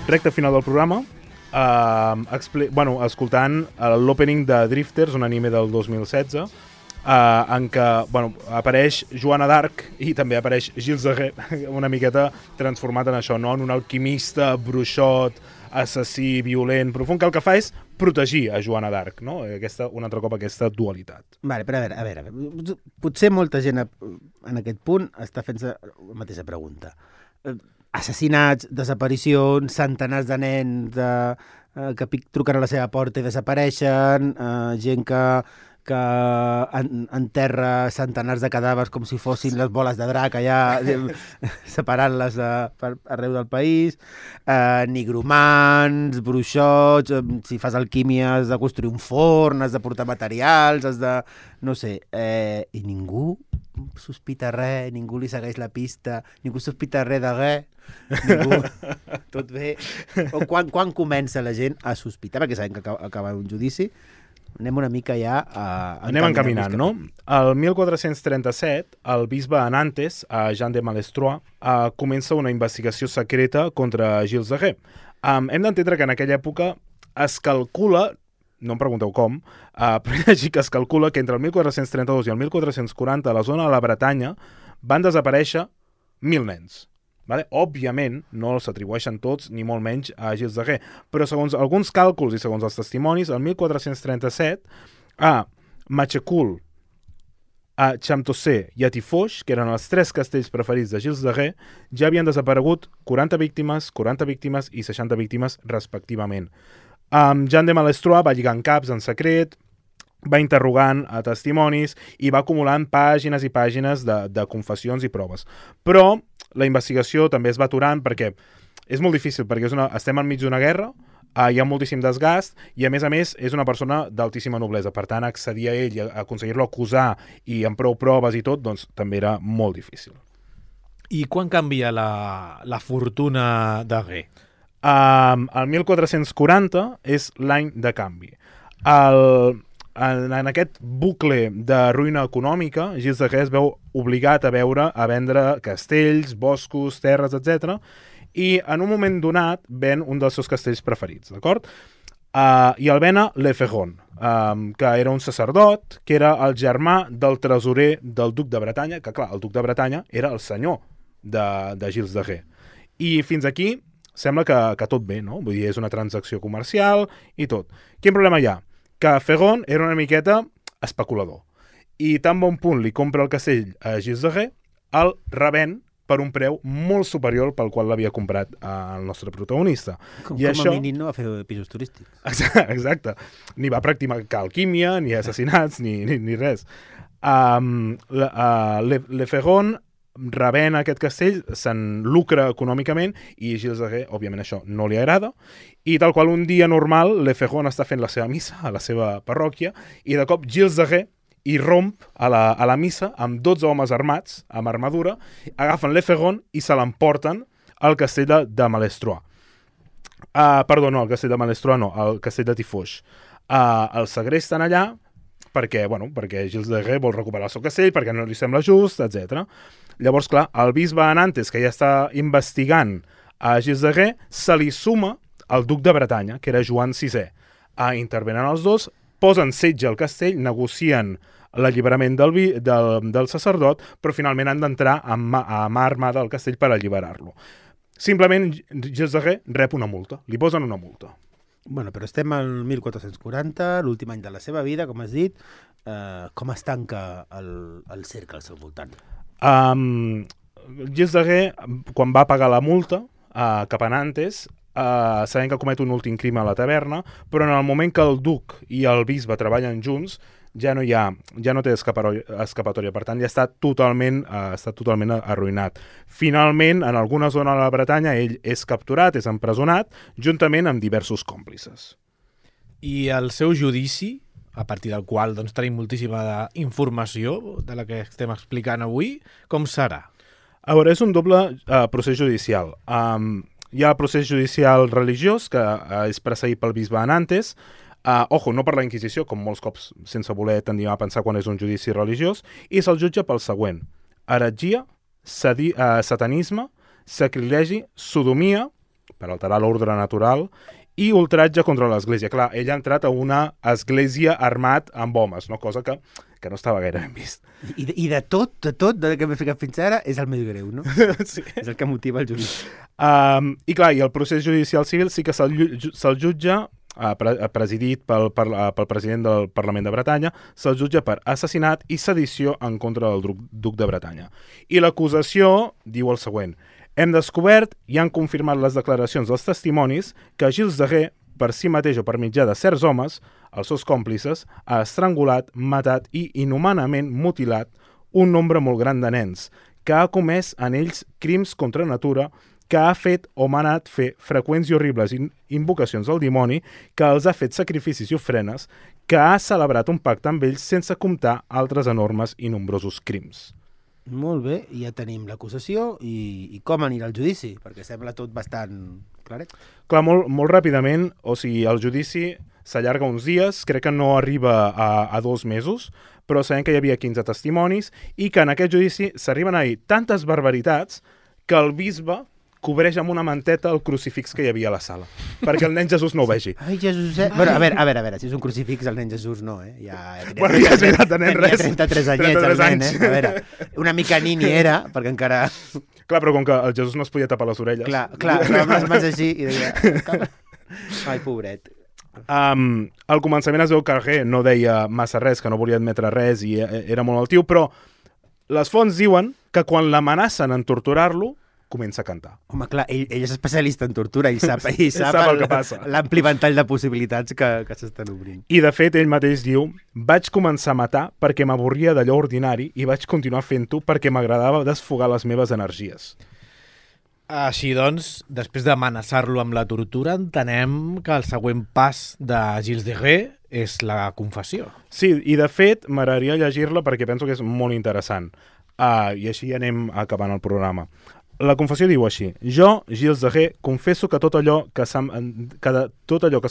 Recte final del programa, escoltant l'opening de Drifters, un anime del 2016, en què apareix Joana d'Arc i també apareix Gilles de Rais, una miqueta transformat en això, no? En un alquimista, bruixot, assassí, violent, profund, que el que fa és protegir a Joana d'Arc, no? Un altre cop aquesta dualitat. Vale, però a veure, potser molta gent en aquest punt està fent la mateixa pregunta. Assassinats, desaparicions, centenars de nens que truquen a la seva porta i desapareixen, gent que enterra centenars de cadàvers com si fossin les boles de drac allà, separant-les arreu del país, nigromants, bruixots, si fas alquímia has de construir un forn, has de portar materials, has de... no sé, i ningú sospita res, ningú li segueix la pista, ningú sospita res de res, ningú... tot bé. O quan comença la gent a sospitar, perquè sabem que acaba un judici, anem una mica ja anem encaminant, no? El 1437, el bisbe de Nantes, Jean de Malestroit, comença una investigació secreta contra Gilles de Rais. Hem d'entendre que en aquella època es calcula, no em pregunteu com, però així que es calcula que entre el 1432 i el 1440 a la zona de la Bretanya van desaparèixer 1.000 nens. Vale? Òbviament, no els atribueixen tots, ni molt menys a Gilles de Rais, però segons alguns càlculs i segons els testimonis, el 1437, a Machecoul, a Champtocé i a Tifoix, que eren els 3 castells preferits de Gilles de Rais, ja havien desaparegut 40 víctimes i 60 víctimes respectivament. Jean de Malestroit va lligant caps en secret, va interrogant a testimonis i va acumulant pàgines i pàgines de confessions i proves. Però la investigació també es va aturant perquè és molt difícil, perquè estem enmig d'una guerra, hi ha moltíssim desgast i, a més, és una persona d'altíssima noblesa. Per tant, accedir a ell i aconseguir-lo acusar i amb prou proves i tot, doncs també era molt difícil. I quan canvia la fortuna de Gué? El 1440 és l'any de canvi. En aquest bucle de ruïna econòmica, Gilles de Gué es veu obligat a vendre castells, boscos, terres, etc. I en un moment donat ven un dels seus castells preferits, d'acord? I el ven a Le Ferron, que era un sacerdot, que era el germà del tresorer del duc de Bretanya, que clar, el duc de Bretanya era el senyor de Gilles de Gué. I fins aquí sembla que tot bé, no? Vull dir, és una transacció comercial i tot. Quin problema hi ha? Que Ferron era una miqueta especulador. I tan bon punt li compra el castell a Gilles de Gué, el revèn per un preu molt superior pel qual l'havia comprat el nostre protagonista. Com a mínim no va fer pisos turístics. Exacte. Ni va practicar alquímia, ni assassinats, ni res. Le Ferron rebent aquest castell, se'n lucra econòmicament i Gilles de Gué, òbviament això no li agrada, i tal qual un dia normal Le Ferron està fent la seva missa a la seva parròquia i de cop Gilles de Gué irromp a la missa amb 12 homes armats, amb armadura, agafen Le Ferron i se l'emporten al castell de Malestroit. Perdó, no, el castell de Malestroit no, el castell de Tifoix. El segresten allà perquè Gilles de Gué vol recuperar el seu castell, perquè no li sembla just, etc. Llavors, clar, el bisbe Nantes, que ja està investigant a Gilles de Gué, se li suma el duc de Bretanya, que era Joan VI. Intervenen els dos, posen setge al castell, negocien l'alliberament del sacerdot, però finalment han d'entrar a mà armada al castell per alliberar-lo. Simplement, Gilles de Gué rep una multa, li posen una multa. Bueno, però estem al 1440, l'últim any de la seva vida, com has dit. Com es tanca el cercle al seu voltant? Gilles de Gué, quan va pagar la multa cap a Nantes, sabent que comet un últim crim a la taverna, però en el moment que el duc i el bisbe treballen junts, ja no té escapatòria, per tant ja està totalment arruïnat. Finalment, en alguna zona de la Bretanya, ell és capturat, és empresonat, juntament amb diversos còmplices. I el seu judici, a partir del qual tenim moltíssima informació de la que estem explicant avui, com serà? A veure, és un doble procés judicial. Hi ha el procés judicial religiós, que és precedit pel bisbe de Nantes, no per la Inquisició, com molts cops sense voler tendim a pensar quan és un judici religiós, i se'l jutja pel següent: heretgia, satanisme, sacrilegi, sodomia, per alterar l'ordre natural, i ultratge contra l'Església. Clar, ell ha entrat a una església armat amb homes, no? Cosa que no estava gaire ben vist. I de tot que m'he ficat fins ara, és el més greu, no? Sí. És el que motiva el judici. I clar, i el procés judicial civil sí que se'l jutja, presidit pel president del Parlament de Bretanya, se'l jutja per assassinat i sedició en contra del duc de Bretanya. I l'acusació diu el següent: hem descobert i han confirmat les declaracions dels testimonis que Gilles de Gué, per si mateix o per mitjà de certs homes, els seus còmplices, ha estrangulat, matat i inhumanament mutilat un nombre molt gran de nens, que ha comès en ells crims contra natura, que ha fet o manat fer freqüents i horribles invocacions al dimoni, que els ha fet sacrificis i ofrenes, que ha celebrat un pacte amb ells sense comptar altres enormes i nombrosos crims. Molt bé, ja tenim l'acusació i com anirà el judici, perquè sembla tot bastant claret. Clar, molt ràpidament, o sigui, el judici s'allarga uns dies, crec que no arriba a 2 mesos, però sabem que hi havia 15 testimonis i que en aquest judici s'arriben a dir tantes barbaritats que el bisbe cobreix amb una manteta el crucifix que hi havia a la sala, perquè el nen Jesús no ho vegi. Ai, Jesús, Bueno, a veure, si és un crucifix el nen Jesús no, Ja és veritat, el nen res. 33 anyets, el nen, A veure, una mica nini era, perquè encara... Clar, però com que el Jesús no es podia tapar les orelles. Clar, amb les mans així i deia... Ai, pobret. Al començament es veu que Gué no deia massa res, que no volia admetre res i era molt altiu, però les fonts diuen que quan l'amenacen en torturar-lo, comença a cantar. Home, clar, ell és especialista en tortura i sap el que passa. L'ampli ventall de possibilitats que s'estan obrint. I, de fet, ell mateix diu: vaig començar a matar perquè m'avorria d'allò ordinari i vaig continuar fent-ho perquè m'agradava desfogar les meves energies. Així doncs, després d'amenaçar-lo amb la tortura, entenem que el següent pas de Gilles de Ré és la confessió. Sí, i de fet m'agradaria llegir-la perquè penso que és molt interessant. I així anem acabant el programa. La confessió diu així: jo, Gilles de Ré, confesso que tot allò que se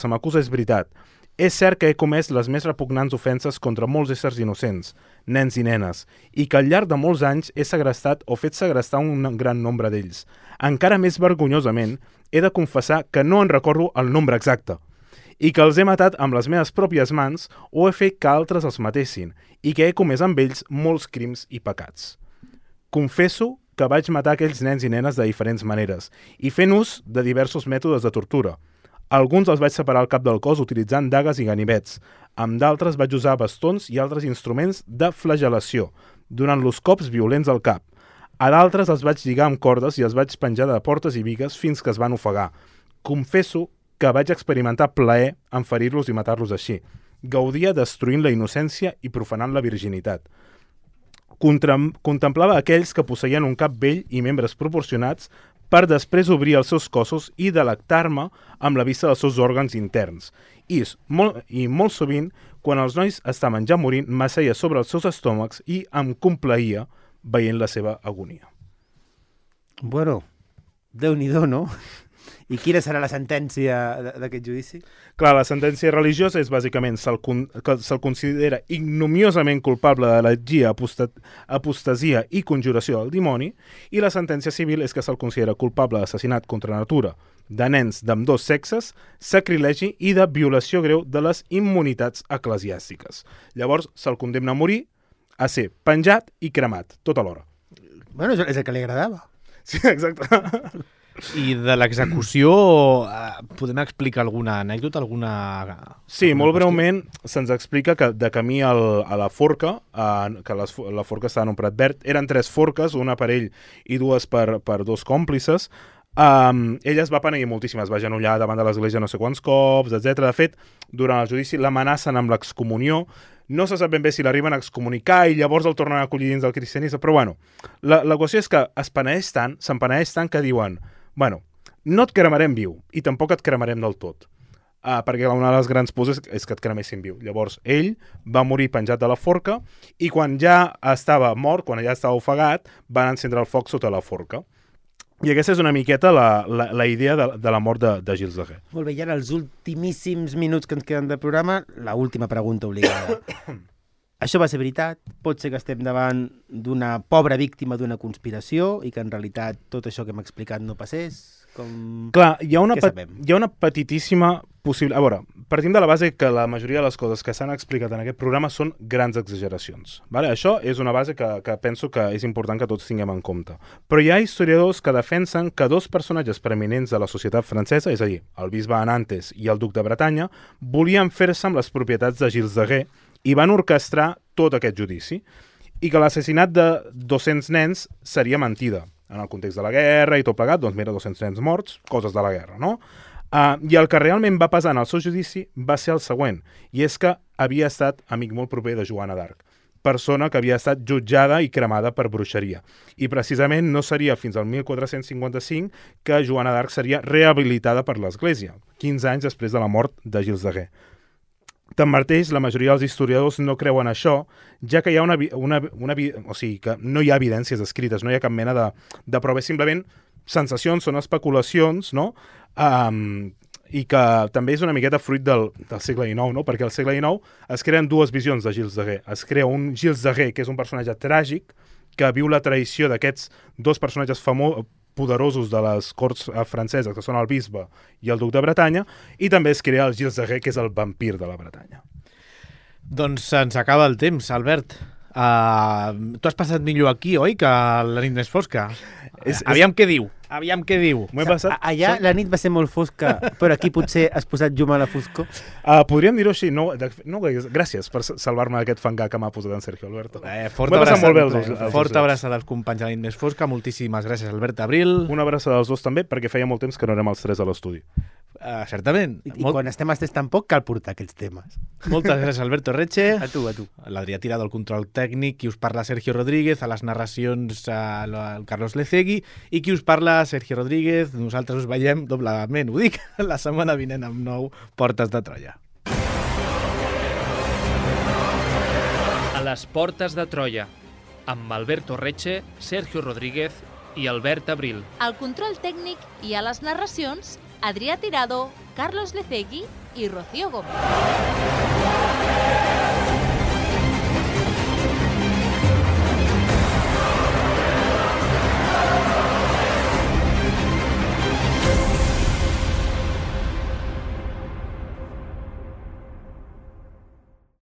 m'acusa és veritat. És cert que he comès les més repugnants ofenses contra molts éssers innocents, nens i nenes, i que al llarg de molts anys he segrestat o fet segrestar un gran nombre d'ells. Encara més vergonyosament, he de confessar que no en recordo el nombre exacte, i que els he matat amb les meves pròpies mans o he fet que altres els matessin, i que he comès amb ells molts crims i pecats. Confesso que vaig matar aquells nens i nenes de diferents maneres, i fent ús de diversos mètodes de tortura. Alguns els vaig separar el cap del cos utilitzant dagues i ganivets. Amb d'altres vaig usar bastons i altres instruments de flagel·lació, donant-los cops violents al cap. A d'altres els vaig lligar amb cordes i els vaig penjar de portes i bigues fins que es van ofegar. Confesso que vaig experimentar plaer en ferir-los i matar-los així. Gaudia destruint la innocència i profanant la virginitat. Contemplava aquells que posseïen un cap vell i membres proporcionats per després obrir els seus cossos i delectar-me amb la vista dels seus òrgans interns. I molt sovint, quan els nois estaven ja morint, m'asseia sobre els seus estómacs i em complaïa veient la seva agonia. Bueno, Déu-n'hi-do, no? I quina serà la sentència d'aquest judici? Clar, la sentència religiosa és bàsicament que se'l considera ignomiosament culpable d'heretgia, apostasia i conjuració del dimoni, i la sentència civil és que se'l considera culpable d'assassinat contra natura de nens d'ambdós sexes, sacrilegi i de violació greu de les immunitats eclesiàstiques. Llavors se'l condemna a morir, a ser penjat i cremat, tot alhora. Bueno, és el que li agradava. Sí, exacte. I de l'execució, podem explicar alguna anècdota, Sí, molt breument se'ns explica que de camí a la forca, que la forca estava en un prat verd, eren 3 forques, una per ell i 2 per 2 còmplices. Ell es va penedir moltíssim, es va agenollar davant de l'església no sé quants cops, etc. De fet, durant el judici l'amenacen amb l'excomunió. No se sap ben bé si l'arriben a excomunicar i llavors el tornen a acollir dins del cristianisme, però bueno, la qüestió és que se'n penedeix tant que diuen: bueno, no et cremarem viu i tampoc et cremarem del tot, perquè una de les grans pors és que et cremessin viu. Llavors ell va morir penjat de la forca i quan ja estava mort, quan ja estava ofegat, van encendre el foc sota la forca. I aquesta és una miqueta la idea de la mort de Gilles de Ré. Molt bé, i ara els ultimíssims minuts que ens queden de programa, la última pregunta obligada. Això va ser veritat? Pot ser que estem davant d'una pobra víctima d'una conspiració i que en realitat tot això que hem explicat no passés? Clar, hi ha una petitíssima possibilitat. A veure, partim de la base que la majoria de les coses que s'han explicat en aquest programa són grans exageracions. Vale? Això és una base que penso que és important que tots tinguem en compte. Però hi ha historiadors que defensen que 2 personatges preeminents de la societat francesa, és a dir, el bisbe Nantes i el duc de Bretanya, volien fer-se amb les propietats de Gilles de Ré i van orquestrar tot aquest judici, i que l'assassinat de 200 nens seria mentida. En el context de la guerra i tot plegat, doncs mira, 200 nens morts, coses de la guerra, no? I el que realment va pesar en el seu judici va ser el següent, i és que havia estat amic molt proper de Joana d'Arc, persona que havia estat jutjada i cremada per bruixeria. I precisament no seria fins al 1455 que Joana d'Arc seria rehabilitada per l'Església, 15 anys després de la mort de Gilles de Ré. Tanmateix, la majoria dels historiadors no creuen això, ja que hi ha o sigui, que no hi ha evidències escrites, no hi ha cap mena de prova, simplement sensacions, són especulacions, no? I que també és una miqueta fruit del segle XIX, no? Perquè al segle XIX es creen 2 visions de Gilles de Ré. Es crea un Gilles de Ré, que és un personatge tràgic, que viu la traïció d'aquests 2 personatges poderosos de les corts franceses, que són el bisbe i el duc de Bretanya, i també es crea el Gilles de Ré, que és el vampir de la Bretanya. Doncs se'ns acaba el temps, Albert. Tu has passat millor aquí, oi, que la nit més fosca? Aviam què diu. M'ho he passat... Allà la nit va ser molt fosca, però aquí potser has posat llum a la foscor. Podríem dir-ho així. No, gràcies per salvar-me d'aquest fangar que m'ha posat en Sergio Alberto. Forta abraçada als companys de la nit més fosca. Moltíssimes gràcies, Albert Abril. Una abraçada als 2 també, perquè feia molt temps que no érem els 3 a l'estudi. Certament. I quan estem estès tampoc cal portar aquests temes. Moltes gràcies, Alberto Reche. A tu. L'Adrià Tirado, el control tècnic, qui us parla Sergio Rodríguez, a les narracions el Carlos Lecegui, i qui us parla Sergio Rodríguez. Nosaltres us veiem doblement, ho dic, la setmana vinent amb nou Portes de Troia. A les Portes de Troia, amb Alberto Reche, Sergio Rodríguez i Albert Abril. Al control tècnic i a les narracions, Adrià Tirado, Carlos Lecegui i Rocío Gómez.